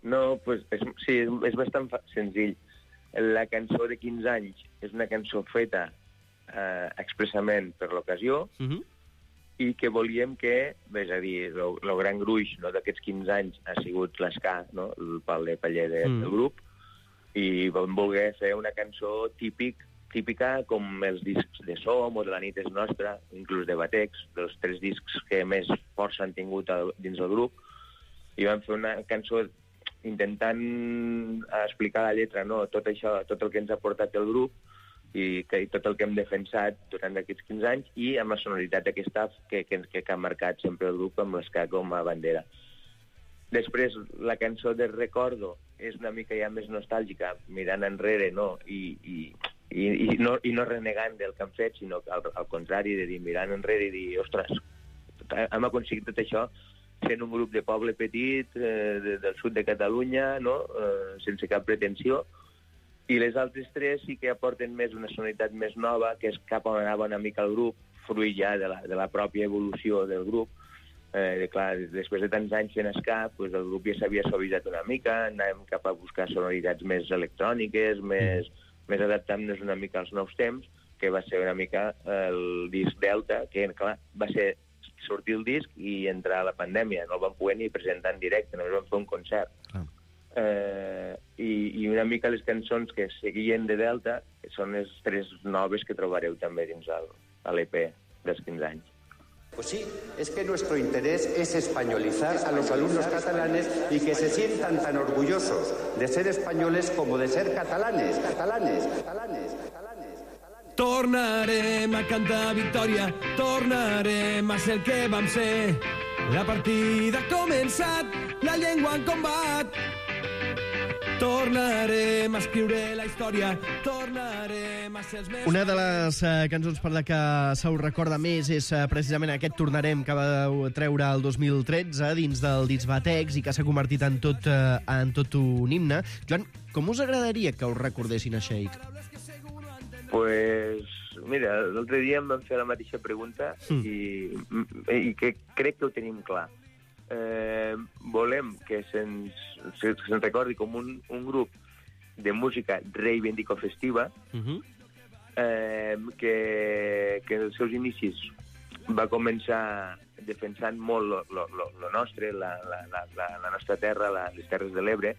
No, pues, és, sí, és bastant senzill. La cançó de quinze anys és una cançó feta eh, expressament per l'ocasió, uh-huh. i que volíem que, és a dir, el gran gruix, no, d'aquests quinze anys ha sigut l'esca, no, el pal de paller de, mm. del grup, i vam voler fer una cançó típic, típica com els discs de Som o de La nit és nostra, inclús de Batex, dels tres discs que més força han tingut a, dins del grup, i vam fer una cançó intentant explicar la lletra, no, tot això, tot el que ens ha portat el grup, i, que, i tot el que hem defensat durant aquests quinze anys, i amb la sonoritat aquesta que, que, que ha marcat sempre el grup amb l'esca com a bandera. Després, la cançó de Recordo és una mica ja més nostàlgica, mirant enrere, no? I, i, i, i, no, i no renegant del que han fet, sinó al, al contrari, de dir, mirant enrere i dir, ostres, hem aconseguit tot això sent un grup de poble petit, eh, de, del sud de Catalunya, no? eh, sense cap pretensió. I les altres tres sí que aporten més una sonoritat més nova, que és cap on anava una mica el grup, fruit ja de la, de la pròpia evolució del grup. Eh, clar, després de tants anys fent ska, pues el grup ja s'havia suavitzat una mica, anàvem cap a buscar sonoritats més electròniques, més, més adaptant-nos una mica als nous temps, que va ser una mica el disc Delta, que clar, va ser sortir el disc i entrar a la pandèmia. No el vam poder ni presentar en directe, només vam fer un concert. Ah. Eh, i, i una mica les cançons que seguien de Delta són les tres noves que trobareu també dins el, l'E P dels quinze anys. Pues sí, es que nuestro interés es españolizar a los alumnos catalanes y que se sientan tan orgullosos de ser españoles como de ser catalanes, catalanes, catalanes, catalanes. Tornarem a cantar victòria, tornarem a ser el que vam ser. La partida ha començat, la llengua en combat. Tornarem a escriure la història, tornarem a ser els més... Una de les uh, cançons per la que se us recorda més és uh, precisament aquest Tornarem que vau treure el dos mil tretze dins del disc Batex i que s'ha convertit en tot, uh, en tot un himne. Joan, com us agradaria que us recordessin a Sheik? Pues, mira, l'altre dia em van fer la mateixa pregunta mm. i, i que crec que ho tenim clar. Eh, volem que se'ns se, se recordi com un, un grup de música reivindicofestiva uh-huh. eh, que, que en els seus inicis va començar defensant molt lo, lo, lo, lo nostre, la, la, la, la nostra terra, la, les Terres de l'Ebre,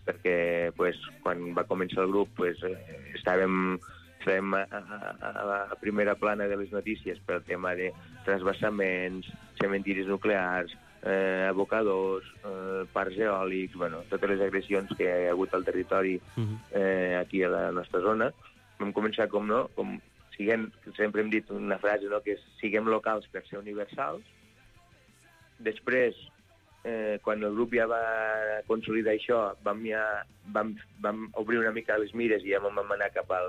perquè pues, quan va començar el grup pues, eh, estàvem, estàvem a, a, a la primera plana de les notícies pel tema de transvasaments, cementiris nuclears, eh, abocadors, eh, parcs eòlics, bueno, totes les agressions que hi ha hagut al territori eh, aquí a la nostra zona. Vam començar com, no, com siguem, sempre hem dit una frase, no, que és siguem locals per ser universals. Després, eh, quan el grup ja va consolidar això, vam, ja, vam, vam obrir una mica les mires i ja vam anar cap a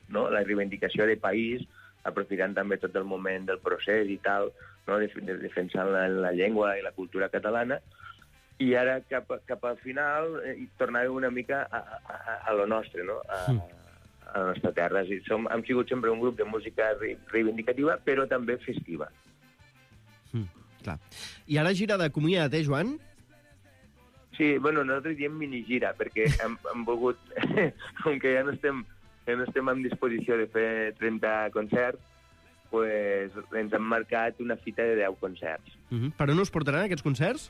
no, la reivindicació de país, aprofitant també tot el moment del procés i tal, no? de, de, defensant la, la llengua i la cultura catalana, i ara cap, cap al final eh, tornàvem una mica a, a, a lo nostre, no? a, a la nostra terra. Sí, som, hem sigut sempre un grup de música reivindicativa, però també festiva. Mm, clar. I ara gira de comiat, eh, Joan? Sí, bueno, nosaltres diem minigira, perquè hem, hem volgut, com que ja no estem... que no estem en disposició de fer trenta concerts, pues, ens han marcat una fita de deu concerts. Uh-huh. Per on us portaran aquests concerts?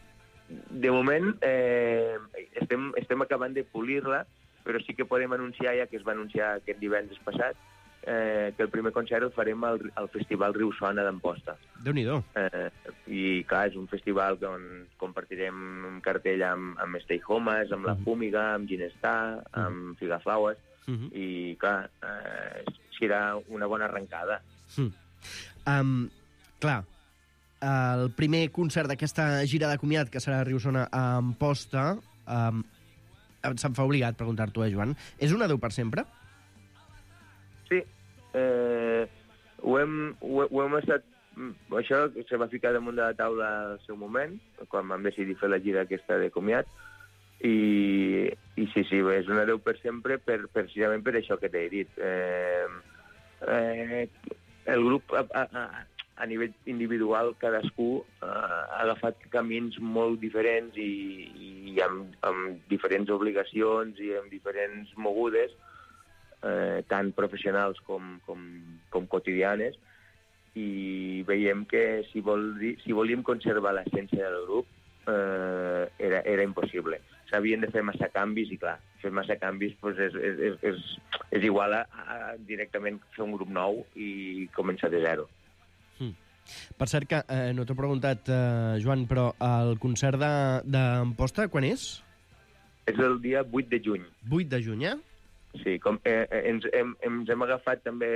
De moment eh, estem, estem acabant de polir-la, però sí que podem anunciar, ja que es va anunciar aquest divendres passat, eh, que el primer concert el farem al, al Festival Riu Sona d'Amposta. Déu-n'hi-do. Eh, I, clar, és un festival on compartirem un cartell amb, amb Stay Homes, amb La Fúmiga, amb Ginestar, amb Figaflaues, Uh-huh. i clar, eh, serà una bona arrencada. Mm. Um, clar, el primer concert d'aquesta gira de comiat, que serà a Riu-sona a Amposta, um, se'm fa obligat preguntar-t'ho, eh, Joan, és un adeu per sempre? Sí. Eh, ho hem, ho, ho hem estat... Això se va ficar damunt de la taula al seu moment, quan vam decidir fer la gira aquesta de comiat, i, i sí, sí, és un adeu per sempre, per, precisament per això que t'he dit. Eh, eh, el grup, a, a, a nivell individual, cadascú eh, ha agafat camins molt diferents i, i amb, amb diferents obligacions i amb diferents mogudes, eh, tant professionals com, com, com quotidianes, i veiem que si, vol dir, si volíem conservar l'essència del grup eh, era, era impossible. S'havien de fer massa canvis i, clar, fer massa canvis pues, és, és, és, és, és igual a, a directament fer un grup nou i començar de zero. Mm. Per cert que, eh, no t'ho he preguntat, eh, Joan, però el concert d'Amposta quan és? És el dia vuit de juny. vuit de juny, eh? Sí, com, eh, ens, hem, ens hem agafat també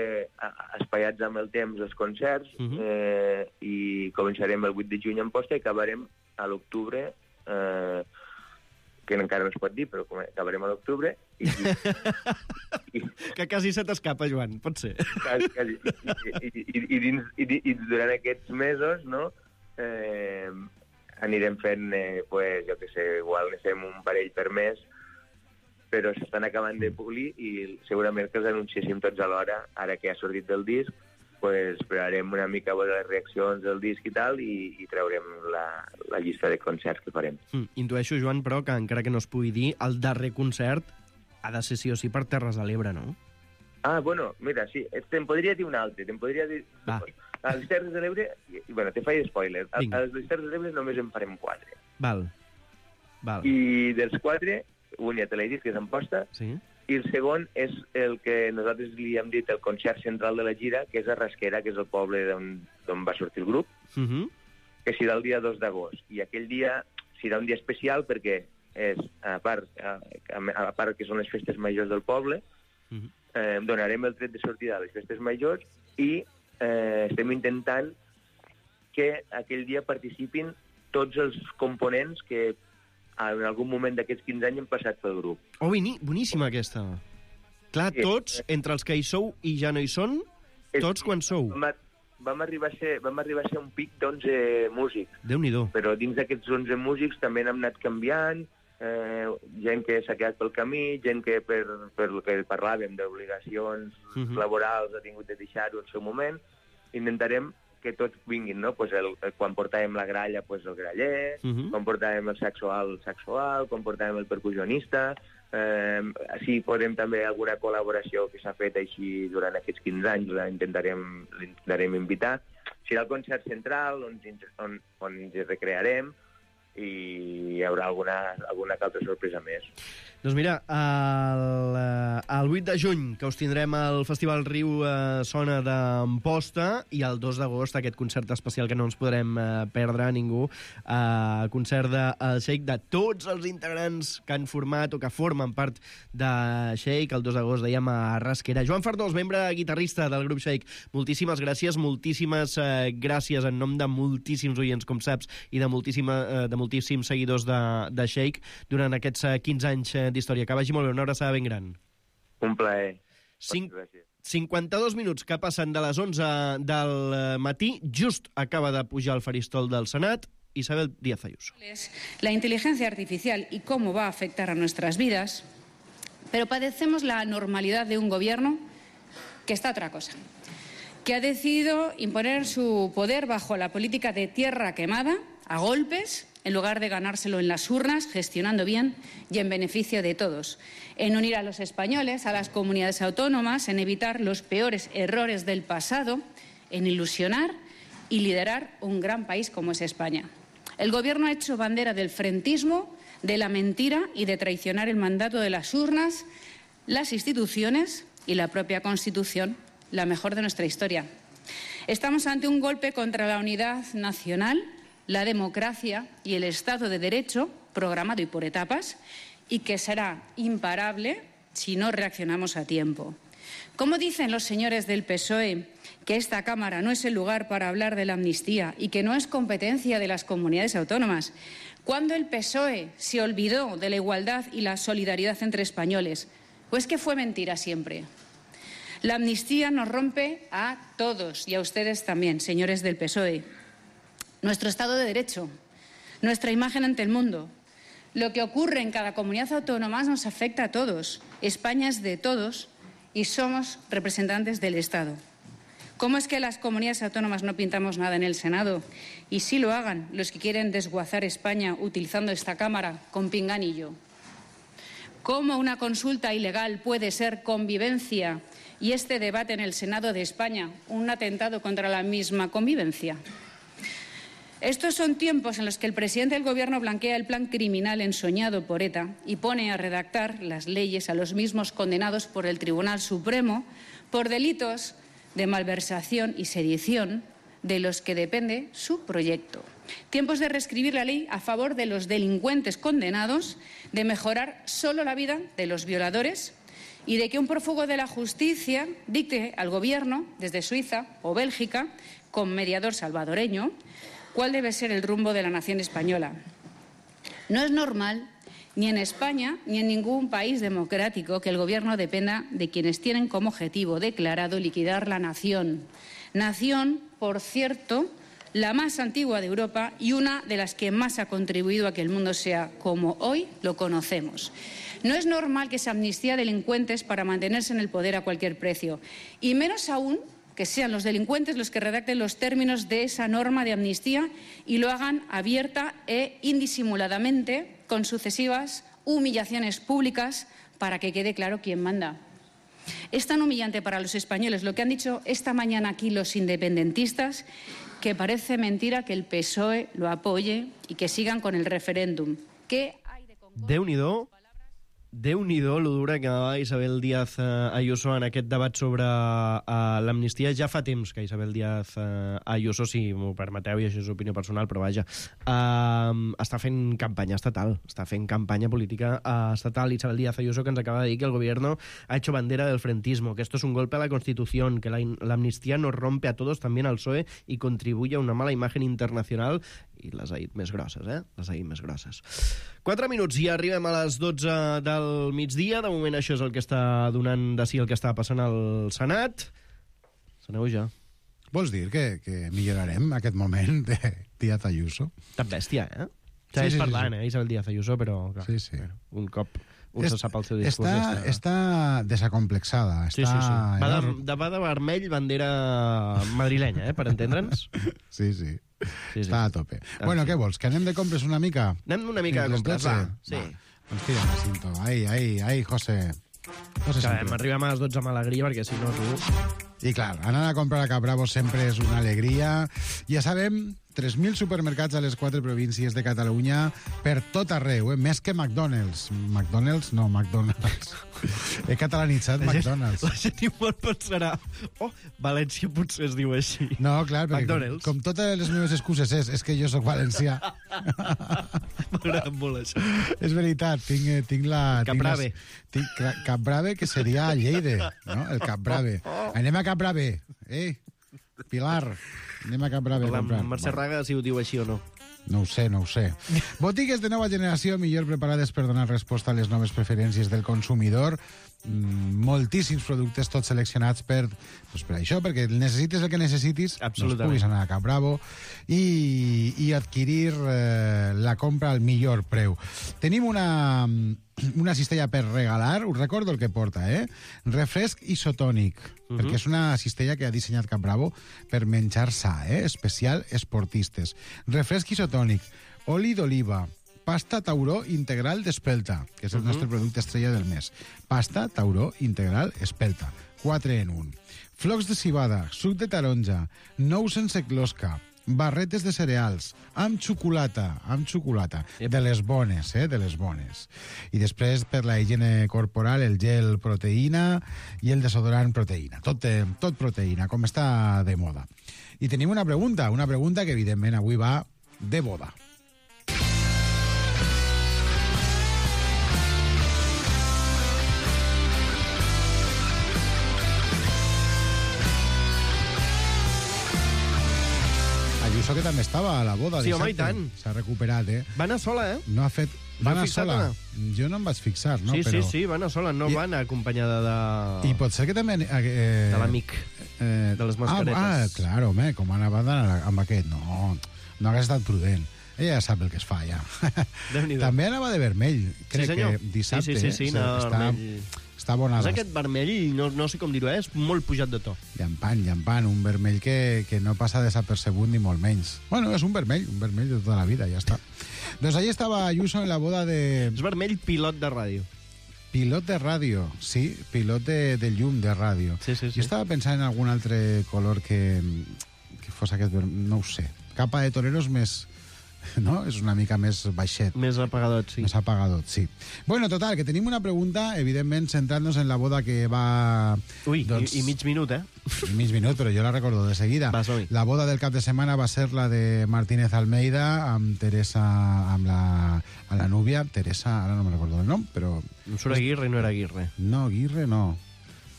espaiats amb el temps els concerts uh -huh. eh, i començarem el vuit de juny a Amposta i acabarem a l'octubre, eh, que encara no es pot dir, però acabarem a l'octubre. I, i, que quasi se t'escapa, Joan, pot ser. Quasi, quasi. I, i, i, i, dins, i, i durant aquests mesos, no, eh, anirem fent, eh, pues, jo què sé, igual ne fem un parell per mes, però s'estan acabant de polir i segurament que els anunciéssim tots alhora, ara que ha sortit del disc, pues, esperarem una mica a veure les reaccions del disc i tal, i, i traurem la, la llista de concerts que farem. Mm, intueixo, Joan, però, que encara que no es pugui dir, el darrer concert ha de ser sí o sí per Terres de l'Ebre, no? Ah, bueno, mira, sí, te'n podria dir un altre, te'n podria dir... Ah. A les Terres de l'Ebre, i, bueno, te faig spoiler, a, a les Terres de l'Ebre només en farem quatre. Val, val. I dels quatre, un ja te l'he dit, que és Amposta, sí. I el segon és el que nosaltres li hem dit el concert central de la gira, que és a Rasquera, que és el poble d'on va sortir el grup, uh -huh. que serà el dia dos d'agost. I aquell dia serà un dia especial perquè és, a part, a, a part que són les festes majors del poble, uh -huh. eh, donarem el tret de sortida a les festes majors i eh, estem intentant que aquell dia participin tots els components que en algun moment d'aquests quinze anys hem passat pel grup. Oh, boníssima aquesta. Clar, sí, tots, entre els que hi sou i ja no hi són, tots quan sou. Vam, vam, arribar, a ser, vam arribar a ser un pic d'onze músics. Déu-n'hi-do. Però dins d'aquests onze músics també n'hem anat canviant, eh, gent que s'ha quedat pel camí, gent que per, per el que parlàvem d'obligacions uh -huh. laborals ha tingut de deixar-ho en el seu moment. Intentarem que tots vinguin, no? Pues el, el, quan portàvem la gralla, pues el graller, uh -huh. quan portàvem el saxoal, el saxoal, quan portàvem el percussionista, eh, així podem també alguna col·laboració que s'ha fet així durant aquests quinze anys, l'intentarem l'intentarem invitar. Serà el concert central, on, on, on ens recrearem, i hi haurà alguna, alguna altra sorpresa més. Doncs mira, el, el vuit de juny, que us tindrem al Festival Riu eh, Sona d'Amposta, i el dos d'agost aquest concert especial que no ens podrem eh, perdre ningú, eh, concert del Shake de tots els integrants que han format o que formen part de Shake, el dos d'agost dèiem a Rasquera. Joan Fardós, membre guitarrista del grup Shake, moltíssimes gràcies, moltíssimes eh, gràcies en nom de moltíssims oients, com saps, i de, moltíssima, eh, de moltíssims seguidors de, de Shake durant aquests eh, quinze anys eh, d'història. Que vagi molt bé, una abraçada ben gran. Un plaer. Cinc, cinquanta-dos minuts que passen de les onze del matí, just acaba de pujar al faristol del Senat Isabel Díaz Ayuso. La inteligencia artificial y cómo va a afectar a nuestras vidas, pero padecemos la normalidad de un gobierno que está a otra cosa, que ha decidido imponer su poder bajo la política de tierra quemada, a golpes, en lugar de ganárselo en las urnas, gestionando bien y en beneficio de todos, en unir a los españoles, a las comunidades autónomas, en evitar los peores errores del pasado, en ilusionar y liderar un gran país como es España. El Gobierno ha hecho bandera del frentismo, de la mentira y de traicionar el mandato de las urnas, las instituciones y la propia Constitución, la mejor de nuestra historia. Estamos ante un golpe contra la unidad nacional, la democracia y el Estado de Derecho, programado y por etapas, y que será imparable si no reaccionamos a tiempo. ¿Cómo dicen los señores del P S O E que esta Cámara no es el lugar para hablar de la amnistía y que no es competencia de las comunidades autónomas? ¿Cuándo el P S O E se olvidó de la igualdad y la solidaridad entre españoles? ¿O es que fue mentira siempre? La amnistía nos rompe a todos y a ustedes también, señores del P S O E. Nuestro Estado de Derecho, nuestra imagen ante el mundo. Lo que ocurre en cada comunidad autónoma nos afecta a todos. España es de todos y somos representantes del Estado. ¿Cómo es que las comunidades autónomas no pintamos nada en el Senado? Y sí lo hagan los que quieren desguazar España utilizando esta Cámara con pinganillo. ¿Cómo una consulta ilegal puede ser convivencia y este debate en el Senado de España un atentado contra la misma convivencia? Estos son tiempos en los que el presidente del Gobierno blanquea el plan criminal ensoñado por ETA y pone a redactar las leyes a los mismos condenados por el Tribunal Supremo por delitos de malversación y sedición de los que depende su proyecto. Tiempos de reescribir la ley a favor de los delincuentes condenados, de mejorar solo la vida de los violadores y de que un prófugo de la justicia dicte al Gobierno, desde Suiza o Bélgica, con mediador salvadoreño, cuál debe ser el rumbo de la nación española. No es normal, ni en España ni en ningún país democrático, que el Gobierno dependa de quienes tienen como objetivo declarado liquidar la nación. Nación, por cierto, la más antigua de Europa y una de las que más ha contribuido a que el mundo sea como hoy lo conocemos. No es normal que se amnistía a delincuentes para mantenerse en el poder a cualquier precio, y menos aún que sean los delincuentes los que redacten los términos de esa norma de amnistía y lo hagan abierta e indisimuladamente con sucesivas humillaciones públicas para que quede claro quién manda. Es tan humillante para los españoles lo que han dicho esta mañana aquí los independentistas que parece mentira que el P S O E lo apoye y que sigan con el referéndum. ¿Qué hay de Congost? Déu-n'hi-do. Déu-n'hi-do, lo dura que anava Isabel Díaz uh, Ayuso en aquest debat sobre uh, l'amnistia. Ja fa temps que Isabel Díaz uh, Ayuso, si m'ho permeteu, i això és opinió personal, però vaja, uh, està fent campanya estatal, està fent campanya política uh, estatal. Isabel Díaz Ayuso, que ens acaba de dir que el gobierno ha hecho bandera del frentismo, que esto es un golpe a la Constitución, que la, la amnistía nos rompe a todos, también al P S O E, y contribuye a una mala imagen internacional. I les ha dit més grosses, eh? Les ha dit més grosses. Quatre minuts i arribem a les dotze del migdia. De moment això és el que està donant de si el que està passant al Senat. S'aneu ja. Vols dir que, que millorarem aquest moment de Díaz Ayuso? Tan bèstia, eh? Ja sí, és sí, parlant, sí, sí. eh? Isabel Díaz Ayuso, però clar, sí, sí. Bueno, un cop un se sap el seu discurs. Està, està... està desacomplexada. Està... Sí, sí, sí. Va de, de, va de vermell, bandera madrilenya, eh? Per entendre'ns. Sí, sí. Sí, sí. Està a tope. Ah, bueno, sí. Què vols? Que anem de compres una mica? Anem una mica de compres, va. Sí. Va. Doncs tira la cinto. Ai, ai, ai, José. José que m'arribem a les dotze amb alegria, perquè si no tu... I clar, anar a comprar a Capravo sempre és una alegria. Ja sabem, tres mil supermercats a les quatre províncies de Catalunya per tot arreu, eh? Més que McDonald's. McDonald's? No, McDonald's. He catalanitzat la McDonald's. Gent, la gent igual pensarà, oh, València potser es diu així. No, clar, perquè com, com totes les meves excuses és, és que jo sóc valencià. M'agrada molt això. És veritat, tinc, tinc la... Capbrave. Tinc, tinc Capbrave, que seria a Lleida, no? El Capbrave. Anem a Capbrave, eh? Pilar, anem a Capbrave. La Mercè Raga, si ho diu així o no. No ho sé, no ho sé. Botigues de nova generació millor preparades per donar resposta a les noves preferències del consumidor. Mm, moltíssims productes, tots seleccionats per, doncs per això, perquè necessites el que necessitis, doncs puguis anar a Capravo i, i adquirir eh, la compra al millor preu. Tenim una, una cistella per regalar, us recordo el que porta, eh? Refresc isotònic, uh-huh. perquè és una cistella que ha dissenyat Capravo per menjar sa, eh? Especial esportistes. Refresc isotònic, oli d'oliva, pasta tauró integral d'espelta, que és el uh-huh. nostre producte estrella del mes. Pasta tauró integral espelta, quatre en un. Flocs de civada, suc de taronja, nous sense closca, barretes de cereals, amb xocolata, amb xocolata, de les bones, eh, de les bones. I després, per la higiene corporal, el gel proteïna i el desodorant proteïna. Tot, eh, tot proteïna, com està de moda. I tenim una pregunta, una pregunta que, evidentment, avui va de boda. Ayuso, que també estava a la boda. Sí, home, i dissabte. tant. S'ha recuperat, eh? Va anar sola, eh? No ha fet... Va anar sola. Anna? Jo no em vaig fixar, no? Sí, Però... sí, sí, va anar sola, no I... va anar acompanyada de... I pot ser que també... Eh... De l'amic, eh... de les mascaretes. Ah, ah, clar, home, com anava d'anar amb aquest? No, no hagués estat prudent. Ella ja sap el que es fa, ja. També anava de vermell, crec sí, que dissabte. Sí, sí, sí, sí, eh? anava Està... vermell. Està bona. És aquest vermell, no, no sé com dir-ho, eh? És molt pujat de to. Llampant, llampant, un vermell que, que no passa desapercebut ni molt menys. Bueno, és un vermell, un vermell de tota la vida, ja està. Doncs allí estava Ayuso en la boda de... És vermell pilot de ràdio. Pilot de ràdio, sí, pilot de, de llum de ràdio. Sí, sí, sí. Jo estava pensant en algun altre color que, que fos aquest vermell, no ho sé. Capa de toreros més... No? És una mica més baixet. Més apagadot, sí. Més apagadot, sí. Bueno, total, que tenim una pregunta, evidentment, centrant-nos en la boda que va... Ui, doncs... i, i mig minut, eh? I mig minut, però jo la recordo de seguida. Vas, la boda del cap de setmana va ser la de Martínez Almeida amb Teresa, amb la, amb la núvia. Teresa, ara no me recordo el nom, però... No surt Aguirre, no era Aguirre. No, Aguirre no.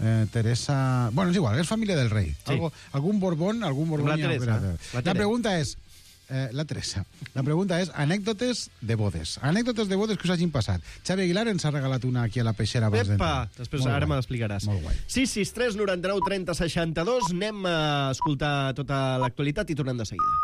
Eh, Teresa... Bueno, és igual, és família del rei. Sí. Algo, algun Borbón, algun Borbón... La Teresa. La, La la pregunta és... Eh, la Teresa. La pregunta és anècdotes de bodes. Anècdotes de bodes que us hagin passat. Xavi Aguilar ens ha regalat una aquí a la peixera abans Epa! d'entrar. Després Molt ara guai. me l'explicaràs. Molt guai. sis sis tres noranta-nou trenta seixanta-dos. Anem a escoltar tota l'actualitat i tornem de seguida.